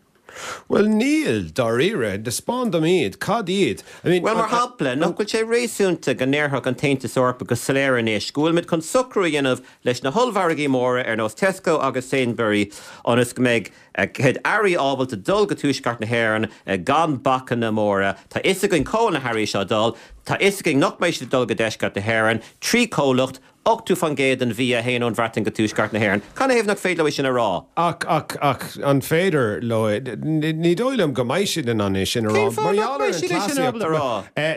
Bhuel, níl, dáiríre. Taispeáin dom iad. Cad iad? I mean, Bhuel, mar shampla, nach bhfuil sé réasúnta go ndéarfadh an tAontas Eorpach go soiléir anois go bhfuilimid chun socrú a dhéanamh leis na hollmhargaí móra ar nós Tesco agus Sainsbury ionas go mbeidh a gcuid earraí ábalta dul go Tuaisceart na hÉireann gan bacanna móra. Tá fhios againn cá bhfuil na hearraí seo ag dul. Tá fhios againn nach mbeidh siad ag dul go Deisceart na hÉireann trí chomhlacht 80% den bhia a théann ón Bhreatain go Tuaisceart na hÉireann. Canathaobh nach féidir leo é sin a rá? Ach, ach, ach, an féidir leo é? Ní dóigh liom go mbeidh siad in ann é sin a rá. Cén fáth nach mbeidh siad é sin ábalta a rá?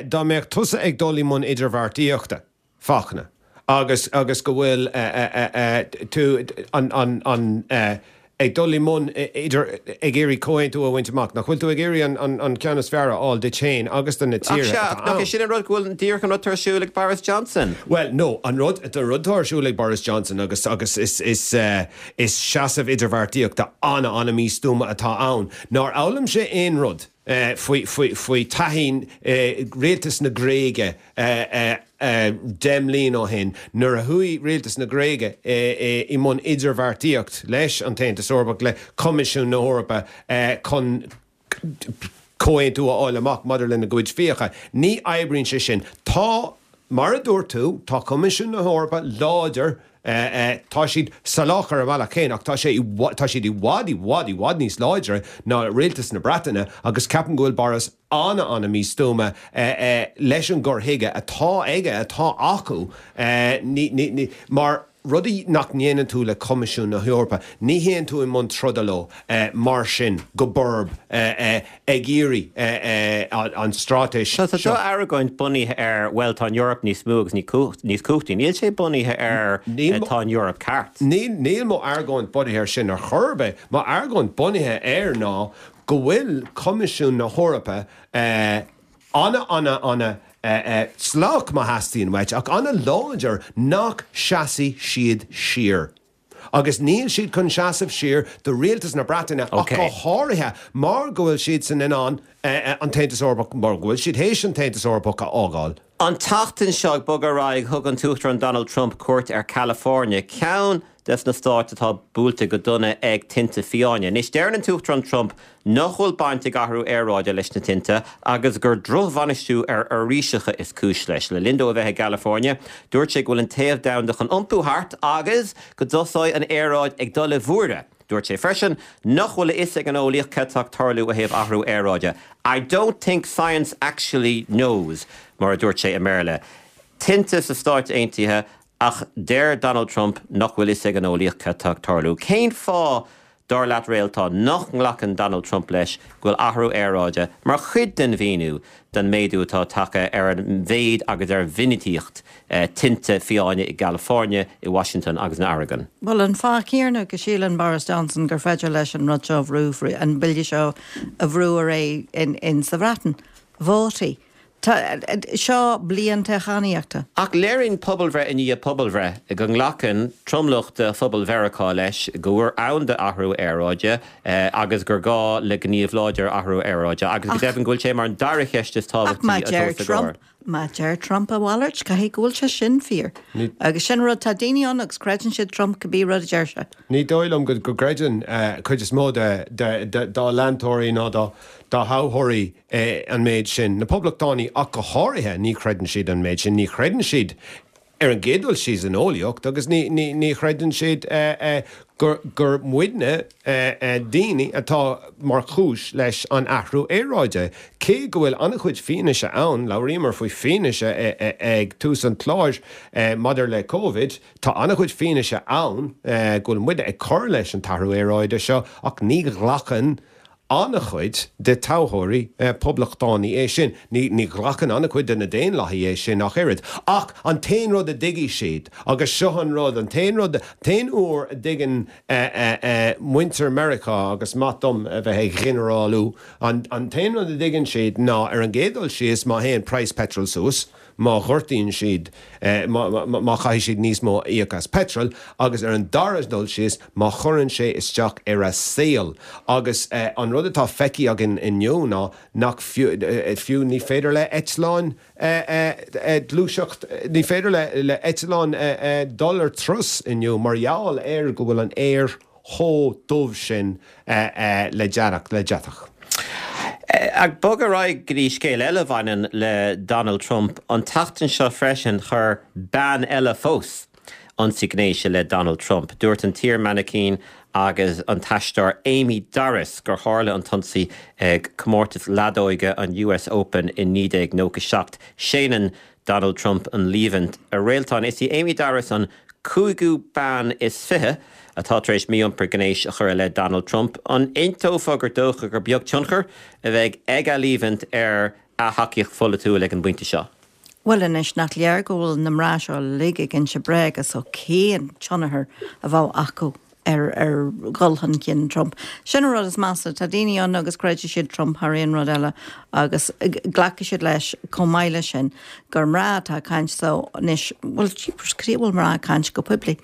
Dá mbeadh tusa ag dul i mbun idirbheartaíochta, Fachtna, agus, agus go bhfuil tú, an, an, an, ag dul i mbun idir, ag iarraidh comhaontú a bhaint amach, nach bhfuil tú ag iarraidh an, an, an ceann is fearr a fháil duit féin agus do na Ach tíortha sea, ach atá nach é ann? sin an rud go bhfuil díreach an rud atá ar siúl ag Boris Johnson? Bhuel, no, an rud, an rud atá ar siúl ag Boris Johnson agus, agus is, is, is seasamh idirbheartaíochta ana, ana místuama atá ann. Nár fhoghlaim sé aon rud faoi, faoi, faoi taithí rialtas na Gréige 10 mbliain ó shin nuair a chuaigh rialtas na Gréige i mbun idirbheartaíocht leis an tAontas Eorpach, le Coimisiún na hEorpa chun comhaontú a fháil amach maidir lena gcuid fiacha. Ní oibríonn sé sin. Tá, mar a dúirt tú, tá Coimisiún na hEorpa láidir, tá siad salach ar a mbealach féin ach tá sé, tá siad i bhfad, i bhfad, i bhfad níos láidre ná rialtas na Breataine agus ceapaim go bhfuil Boris an-an-mhístuama leis an gcur chuige atá aige, atá acu, mar rudaí nach ndéanann tú le Coimisiún na hEorpa, ní théann tú i mbun troda leo mar sin go borb ag iarraidh an straitéis seo. Tá do argóint bunaithe ar, bhuel, tá an Eoraip níos mó agus níos cumhachtaí. Níl sé bunaithe ar tá an Eoraip ceart. Níl mo argóint bunaithe ar sin ar chor ar bith. Mo argóint bunaithe air ná go bhfuil Coimisiún na hEorpa ana, ana, ana salach má theastaíonn uait, ach ana láidir nach seasfaidh siad siar. Agus níl siad chun seasamh siar do rialtas na Breataine ach go háirithe mar go bhfuil siadsan in ann an tAontas Eorpach, mar go bhfuil siad théis an tAontas Eorpach a fhágáil. An tseachtain seo, ag bogadh ar aghaidh, thug an tUachtarán Donald Trump cuairt ar California, ceann des na stáit atá buailte go dona ag tinte fiáine. Anois, deireann an tUachtarán Trump nach bhfuil baint ag athrú aeráide leis na tinte agus gur drochbhainistiú ar fhoraoiseacha is cúis leis. Le linn dó a bheith i gCalifornia, dúirt sé go bhfuil an téamh domhanda chun iompú thart agus go dtosóidh an aeráid ag dul i bhfuaire. Dúirt sé freisin nach bhfuil a fhios ag an eolaíocht cad tá ag tarlú ó thaobh athrú aeráide. I don't think science actually knows, mar a dúirt sé i mBéarla. Tinte sna Stáit Aontaithe Ach deir Donald Trump nach bhfuil fhios ag an eolaíocht cad tá ag tarlú. Cén fáth, dar leat Réaltán, nach nglacann Donald Trump leis go bhfuil athrú aeráide mar chuid den mhíniú don méadú atá tagtha ar an mhéid agus ar mhinicíocht tinte fiáine i gCalifornia, i Washington agus in Oregon? Bhuel, an fáth céanna go síleann Boris Johnson gur féidir leis an rud seo a bhrú, an bille seo a bhrú ar aghaidh in sa Bhreatain. Vótaí. Tá seo bliain toghchánaíochta. Ach léiríonn pobalbhreith i ndiaidh pobalbhreith go nglacann tromlach de phobal Mheiriceá leis go bhfuil ann d'athrú aeráide agus gur gá le gníomh láidir athrú aeráide agus go deimhin go bhfuil sé mar an dara cheist is tábhachtaí atá os a gcomhair. Má deir Trump a mhalairt, caithfidh go bhfuil sé sin fíor. Agus sin rud, tá daoine ann agus creideann siad Trump cibé rud a deir sé. Ní dóigh liom go gcreideann cuid is mó dá leantóirí ná dá thoghthóirí an méid sin. Na Poblachtánaigh ach go háirithe, ní chreideann siad an méid sin. Ní chreideann siad. Ar an gcéad dul síos an eolaíocht agus ní, ní, ní chreideann siad gur, gur muidne, daoine, atá mar chúis leis an athrú aeráide. Cé go bhfuil an-chuid fianaise ann, labhraíomar faoi fianaise ag tús an chláir maidir le Covid, tá an-chuid fianaise ann go bhfuil muide ag cur leis an t-athrú aeráide seo ach ní ghlacann an-chuid de toghthóirí poblachtánaí é sin. Ní ghlacann an-chuid de na Daonlathaigh é sin ach oiread. Ach an t-aon rud a dtuigfidh siad, agus seo an rud, an t-aon rud, an t-aon uair a dtuigeann muintir Meiriceá, agus maith dom a bheith ag ginearálú, an t-aon rud a dtuigeann siad ná, ar an gcéad dul síos, má théann praghas peitril suas, má ghortaíonn siad, má chaithfidh siad níos mó a íoc as peitreal, agus ar an dara dul síos, má chuireann sé isteach ar a saol. Agus an rud atá feicthe againn inniu ná nach fiú, fiú ní féidir le eitleáin gluaiseacht, ní féidir le eitleáin dul ar turas inniu mar gheall ar go bhfuil an aer chomh dubh sin le deatach, le deatach. Ag bogadh ar aghaidh go dtí scéal eile a bhaineann le Donald Trump, an tseachtain seo freisin chuir bean eile fós ionsaí gnéis i leith Donald Trump. Dúirt an t-iar-mhainicín agus an t-aisteoir Amy Dorris gur tharla an t-ionsaí ag comórtas leadóige an US Open i 1997. Séanann Donald Trump an líomhaint. A Réaltán, is í Amy Dorris an cúigiú bean is 20 atá tar éis mí-iompar gnéis a chur i leith Donald Trump. An aontófá gur dócha gur beag tionchar a bheidh ag a líomhaint ar a thacaíocht pholaitiúil ag an bpointe seo? Bhuel anois, nach léir go bhfuil na mná seo uilig ag inse bréaga so cén tionchar a bheadh acu ar ar dhul chun cinn Trump. Sin an rud is measa. Tá daoine ann agus creidfidh siad Trump thar aon rud eile agus glacfaidh siad leis chomh maith leis sin gur mná atá ag caint so anois, bhuel jeepers, cad chuige a bhfuil mná ag caint go poiblí?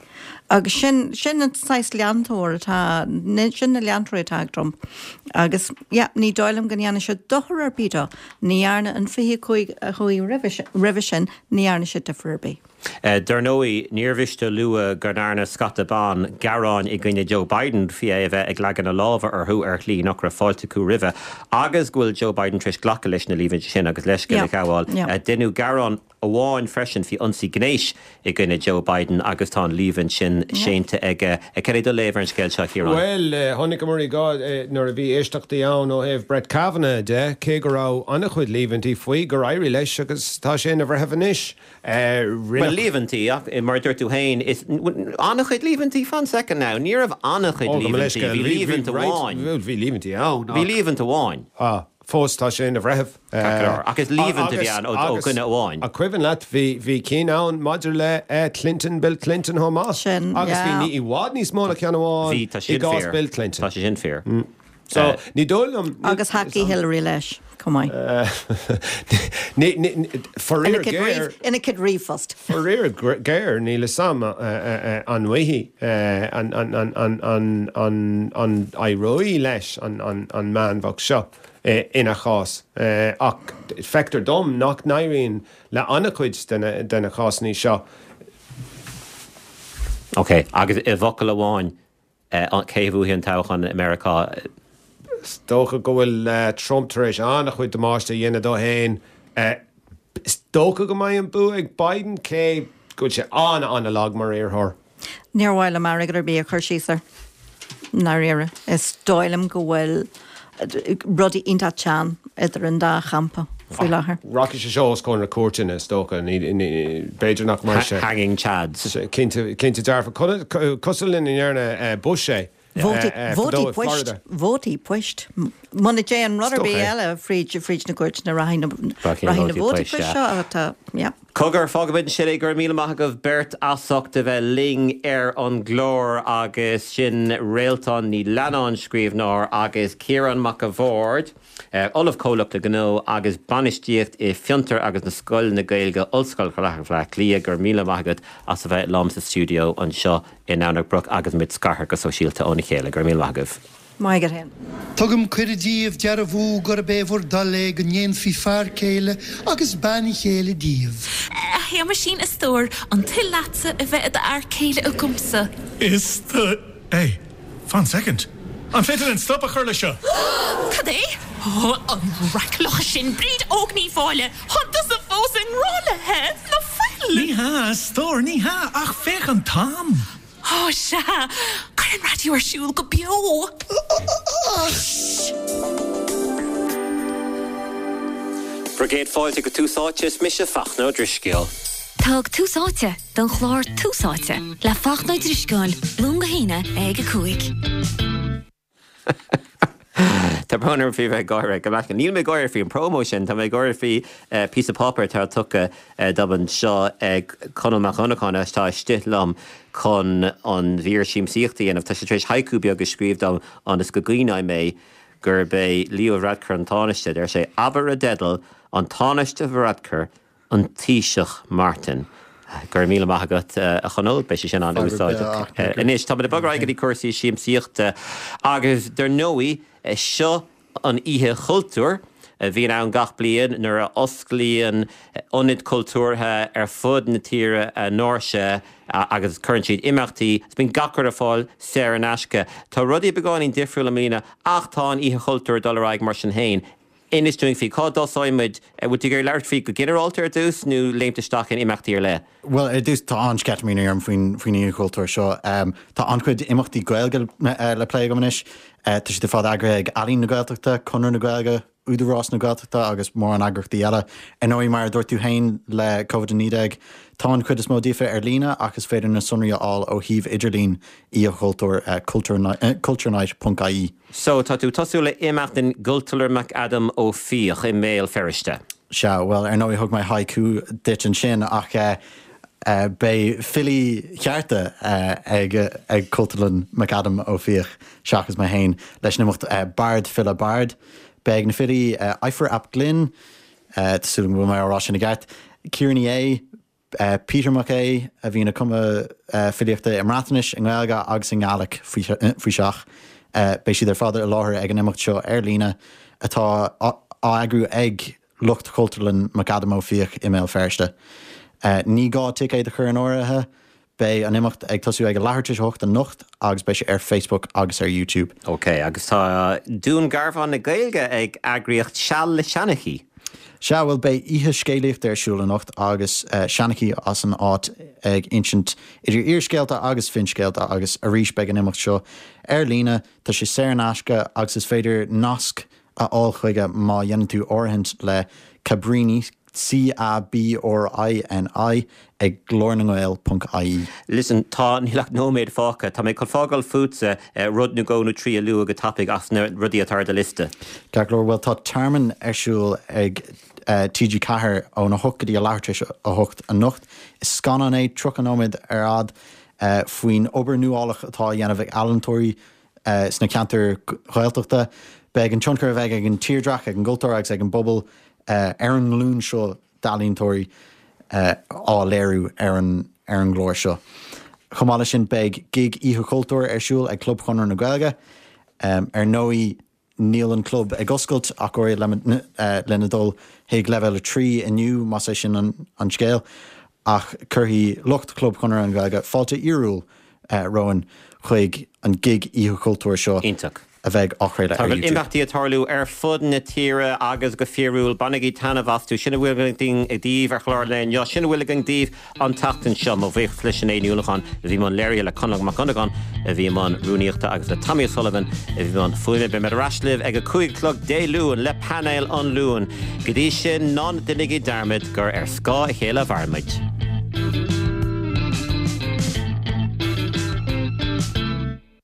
Agus sin, sin an saghas leantóir atá, sin na leantóirí atá ag Trump. Agus yeah, ní dóigh liom go ndéanfaidh sé dochar ar bith dó. Ní dhearna an 25 a chuaigh roimhe sin, ní dhearna sé difear ar bith. Dar ndóigh, níor mhiste a lua go ndearna scata ban gearáin i gcoinne Joe Biden faoi é a bheith ag leagan a lámha orthu ar shlí nach raibh fáilte acu roimhe agus go bhfuil Joe Biden tar éis glacadh leis na líomhaintí sin agus leithscéal a ghabháil. Deineadh gearán amháin freisin faoi ionsaí gnéis i gcoinne Joe Biden agus tá an líomhaint sin séanta aige. Cad é do léamh ar an scéal seo, a Chiaráin? Bhuel, chonaiceamar i gcás nuair a bhí éisteachtaí ann ó thaobh Brett Kavanaugh de, cé go raibh an-chuid líomhaintí faoi, gur éirigh leis agus tá sé ina bhreitheamh anois. Bhuel, líomhaintí, ach mar a dúirt tú féin, is an-chuid líomhaintí, fan soicind now, ní raibh an-chuid líomhaintí, bhí líomhaint amháin. Bhí líomhaintí ann, ach. Bhí líomhaint amháin. Ah, fós tá sé ina bhreitheamh. Ceart go leor, ach is líomhaint a bhí ann ó dhuine amháin. An cuimhin leat, bhí, bhí cinn ann maidir le Clinton, Bill Clinton chomh maith. Sin, yeah. Agus bhí ní i bhfad níos mó ná ceann amháin Bhí, tá i sin gcás fíor. Bill Clinton. Tá sé sin fíor. So, ní dóigh liom. Agus thacaigh Hillary leis chomh maith. Ní, ní, faraor géar. Ina cuid ríomhphost. Faraor géar, níl fhios a'm an bhfaighidh, an, an, an, an, an, an, an éireoidh leis an, an, an mbean bhocht seo ina chás. Ach feictear dom nach n-éiríonn le an-chuid de na, de na cásanna seo. Ok, agus i bhfocal amháin, Cé a bhuafaidh an toghchán i Meiriceá? Is dócha go bhfuil Trump tar éis an-chuid damáiste a dhéanamh dó féin. Is dócha go mbeidh an bua ag Biden, cé go bhfuil sé an-an-lag mar iarrthóir. Níor mhaith liom airgead ar bith a chur síos air, i ndáiríre. Is dóigh liom go bhfuil rudaí iontach teann idir an dá champa faoi láthair. Rachaidh sé seo os comhair na cúirteanna, is dócha. B'fhéidir nach mbeidh sé. Hanging chads. Cinnte, cinnte dearfa. Cosúil lena ndearna Bush é fadó i Florida. Vótaí poist. Muna dtéann rud ar bith eile fríd na cúirteanna, rachaidh na vótaí poist seo atá, yeah. Cogar, fágfaimid ansin é. Go raibh míle maith agaibh beirt as ucht a bheith linn ar an gclár agus sin Réaltán Ní Leannáin, scríbhneoir, agus Ciarán Mac a' Bhaird, Ollamh Comhlachta Gnó agus Bainistíocht i Fiontar agus na Scoil na Gaeilge, Ollscoil Chathair Bhaile Átha Cliath. Go raibh míle maith agat as a bheith liom sa stiúideo anseo i nDomhnach Broc agus muid scartha go sóisialta óna chéile. Go raibh míle maith agaibh. Maith agat fhéin. Tugaim cuireadh díbh dearbhú gurb é bhur dtoil é go ndéanfaí fear céile agus bean chéile díbh. A Shéamaisín, a stór, an toil leatsa a bheith i d'fhear céile agamsa? Is do. Hey, fan soicind. An féidir linn stop a chur leis seo? Cad é? Ó, an raic locha sin, Bríd Óg Ní Mháille, tá tusa fós i ngrá léithe! Ná fuil? Ní hea, a stór, ní hea, ach féach an t-am! Ó, sea! Cuir an raidió ar siúl go beo! Shh! Bhur gcéad fáilte go Tús Áite, is mise Fachtna Ó Drisceoil. Thug Tús Áite don chlár Tús Áite le Fachtna Ó Drisceoil, Luan go hAoine ag 5. Tá brón orm faoi bheith ag gáire go leath. Níl mé ag gáire faoi an promo sin, tá mé ag gáire faoi píosa páipéir atá tugtha dom anseo ag Conall Mac Dhonnacháin atá istigh liom chun an mhír siamsaíochta a dhéanamh. Tá sé tar éis haiku beag a scríobh dom ionas go gcuimhneoidh mé gurb é Leo Varadkar an Tánaiste. Deir sé, Abair i dteideal, An Tánaiste Varadkar, An Taoiseach Martin. Go raibh míle maith agat, a Chonaill. Beidh sé sin an-úsáideach. Anois, táimid ag bogadh ar aghaidh go dtí cúrsaí siamsaíochta agus, dar ndóigh, seo an Oíche Chultúir a bhíonn ann gach bliain nuair a osclaíonn ionaid chultúrtha ar fud na tíre a ndoirse agus cuireann siad imeachtaí agus bíonn gach rud ar fáil saor in aisce. Tá rudaí beagáinín difriúil i mbliana ach tá an Oíche Chultúir ag dul ar aghaidh mar sin féin. Inis dúinn faoi, cá dtosóidh muid? Bhfuil tú ag iarraidh labhairt faoi go ginearálta ar dtús nó léimt isteach in imeachtaí ar leith? Bhuel, ar dtús, tá an-sceitimíní orm faoin faoin Oíche Chultúir seo. Tá an-chuid imeachtaí Gaeilge le plé agam anois. Tá siad ar fad eagraithe ag Ealaín na Gaeltachta, Conradh na Gaeilge, Údarás na Gaeltachta agus mórán eagraíochtaí eile. Ar ndóigh, mar a dúirt tú féin, le Covid-19, tá an chuid is mó díofa ar líne ach is féidir na sonraí a fháil ó shuíomh idirlín Oíche Chultúir, culturenight.ie. So, tá tú ag tosú le imeacht in gCultúrlann McAdam Ó Fiaich i mBéal Feirste. Sea, bhuel, ar ndóigh thug mé haiku duit ansin ach beidh filí chearta ag ag Cultúrlann McAdam Ó Fiaich seachas mé féin leis an imeacht Bard File Bard. Beidh na filí Ifor ap Glyn, tá súil agam go bhfuil mé á rá sin i gceart, Ciara Ní É, Peter Mac Aodha, a bhíonn ag cumadh filíochta i mBreatnais, i nGaeilge agus i nGaelic faoi seach. Beidh siad ar fad i láthair ag an imeacht seo ar líne atá á eagrú ag lucht Chultúrlann McAdam Ó Fiaich i mBéal Feirste. Ní gá ticéad a chur in áirithe, beidh an imeacht ag tosú ag a leathuair tar éis a hocht anocht agus beidh sé ar Facebook agus ar YouTube. Ok, agus tá Dún Garbhán na Gaeilge ag eagraíocht Seal le Seanchaí. Sea, bhuel, beidh oíche scéalaíochta ar siúl anocht agus seanchaí as an áit ag insint idir fhíorscéalta agus finscéalta agus arís beidh an imeacht seo ar líne, tá sé saor in aisce agus is féidir nasc a fháil chuige má dhéanann tú áirithint le Cabrini, C-A-B-R-I-N-I, ag glórnangael ponc ie. Listen, tá, níl ach nóiméad fágtha. Tá mé chun fágáil fútsa rud nó dhó nó trí a lua go tapaidh as na rudaí atá ar do liosta. Ceart go leor, bhuel tá Tearmann ar siúl ag TG4 ón 8 go dtí a leathuair tar éis a 8 anocht. Is scannán é, 30 nóiméad ar fhad, faoin obair nuálach atá á dhéanamh ag ealaíontóirí sna ceantair Ghaeltachta. Beidh an tionchar a bheidh ag an tírdhreach, ag an gcultúr agus ag an bpobal ar an nglúin seo d'ealaíontóirí á léiriú ar an ar an gclár seo. Chomh maith leis sin beidh gig Oíche Chultúir ar siúl ag Club Chonradh na Gaeilge. Ar ndóigh níl an club ag oscailt ach go háirithe lena dul chuig leibhéal 3 inniu más é sin an scéal ach cuirfidh lucht Chlub Chonradh na Gaeilge fáilte fhíorúil romhainn chuig an gig Oíche Chultúir seo. Iontach. a bheidh á chraoladh Tá ar YouTube. imeachtaí ag tarlú ar fud na tíre agus go fíorúil, bainigí taitneamh astu. Sin a bhfuil againn daoibh ar chlár an lae inniu. Sin a bhfuil againn daoibh an tseachtain seo. Mo bhuíochas le Sinéad Ní Uallacháin a bhí i mbun léirithe, le Conall Mac Dhonnagáin a bhí i mbun rúnaíochta agus le Tommy O'Sullivan a bhí i mbun fuaime. Beidh mé ar ais libh ag a 5 a chlog Dé Luain le painéal an Luain. Go dtí sin, ná déanaigí dearmad gur ar scáth a chéile a mhaireann muid.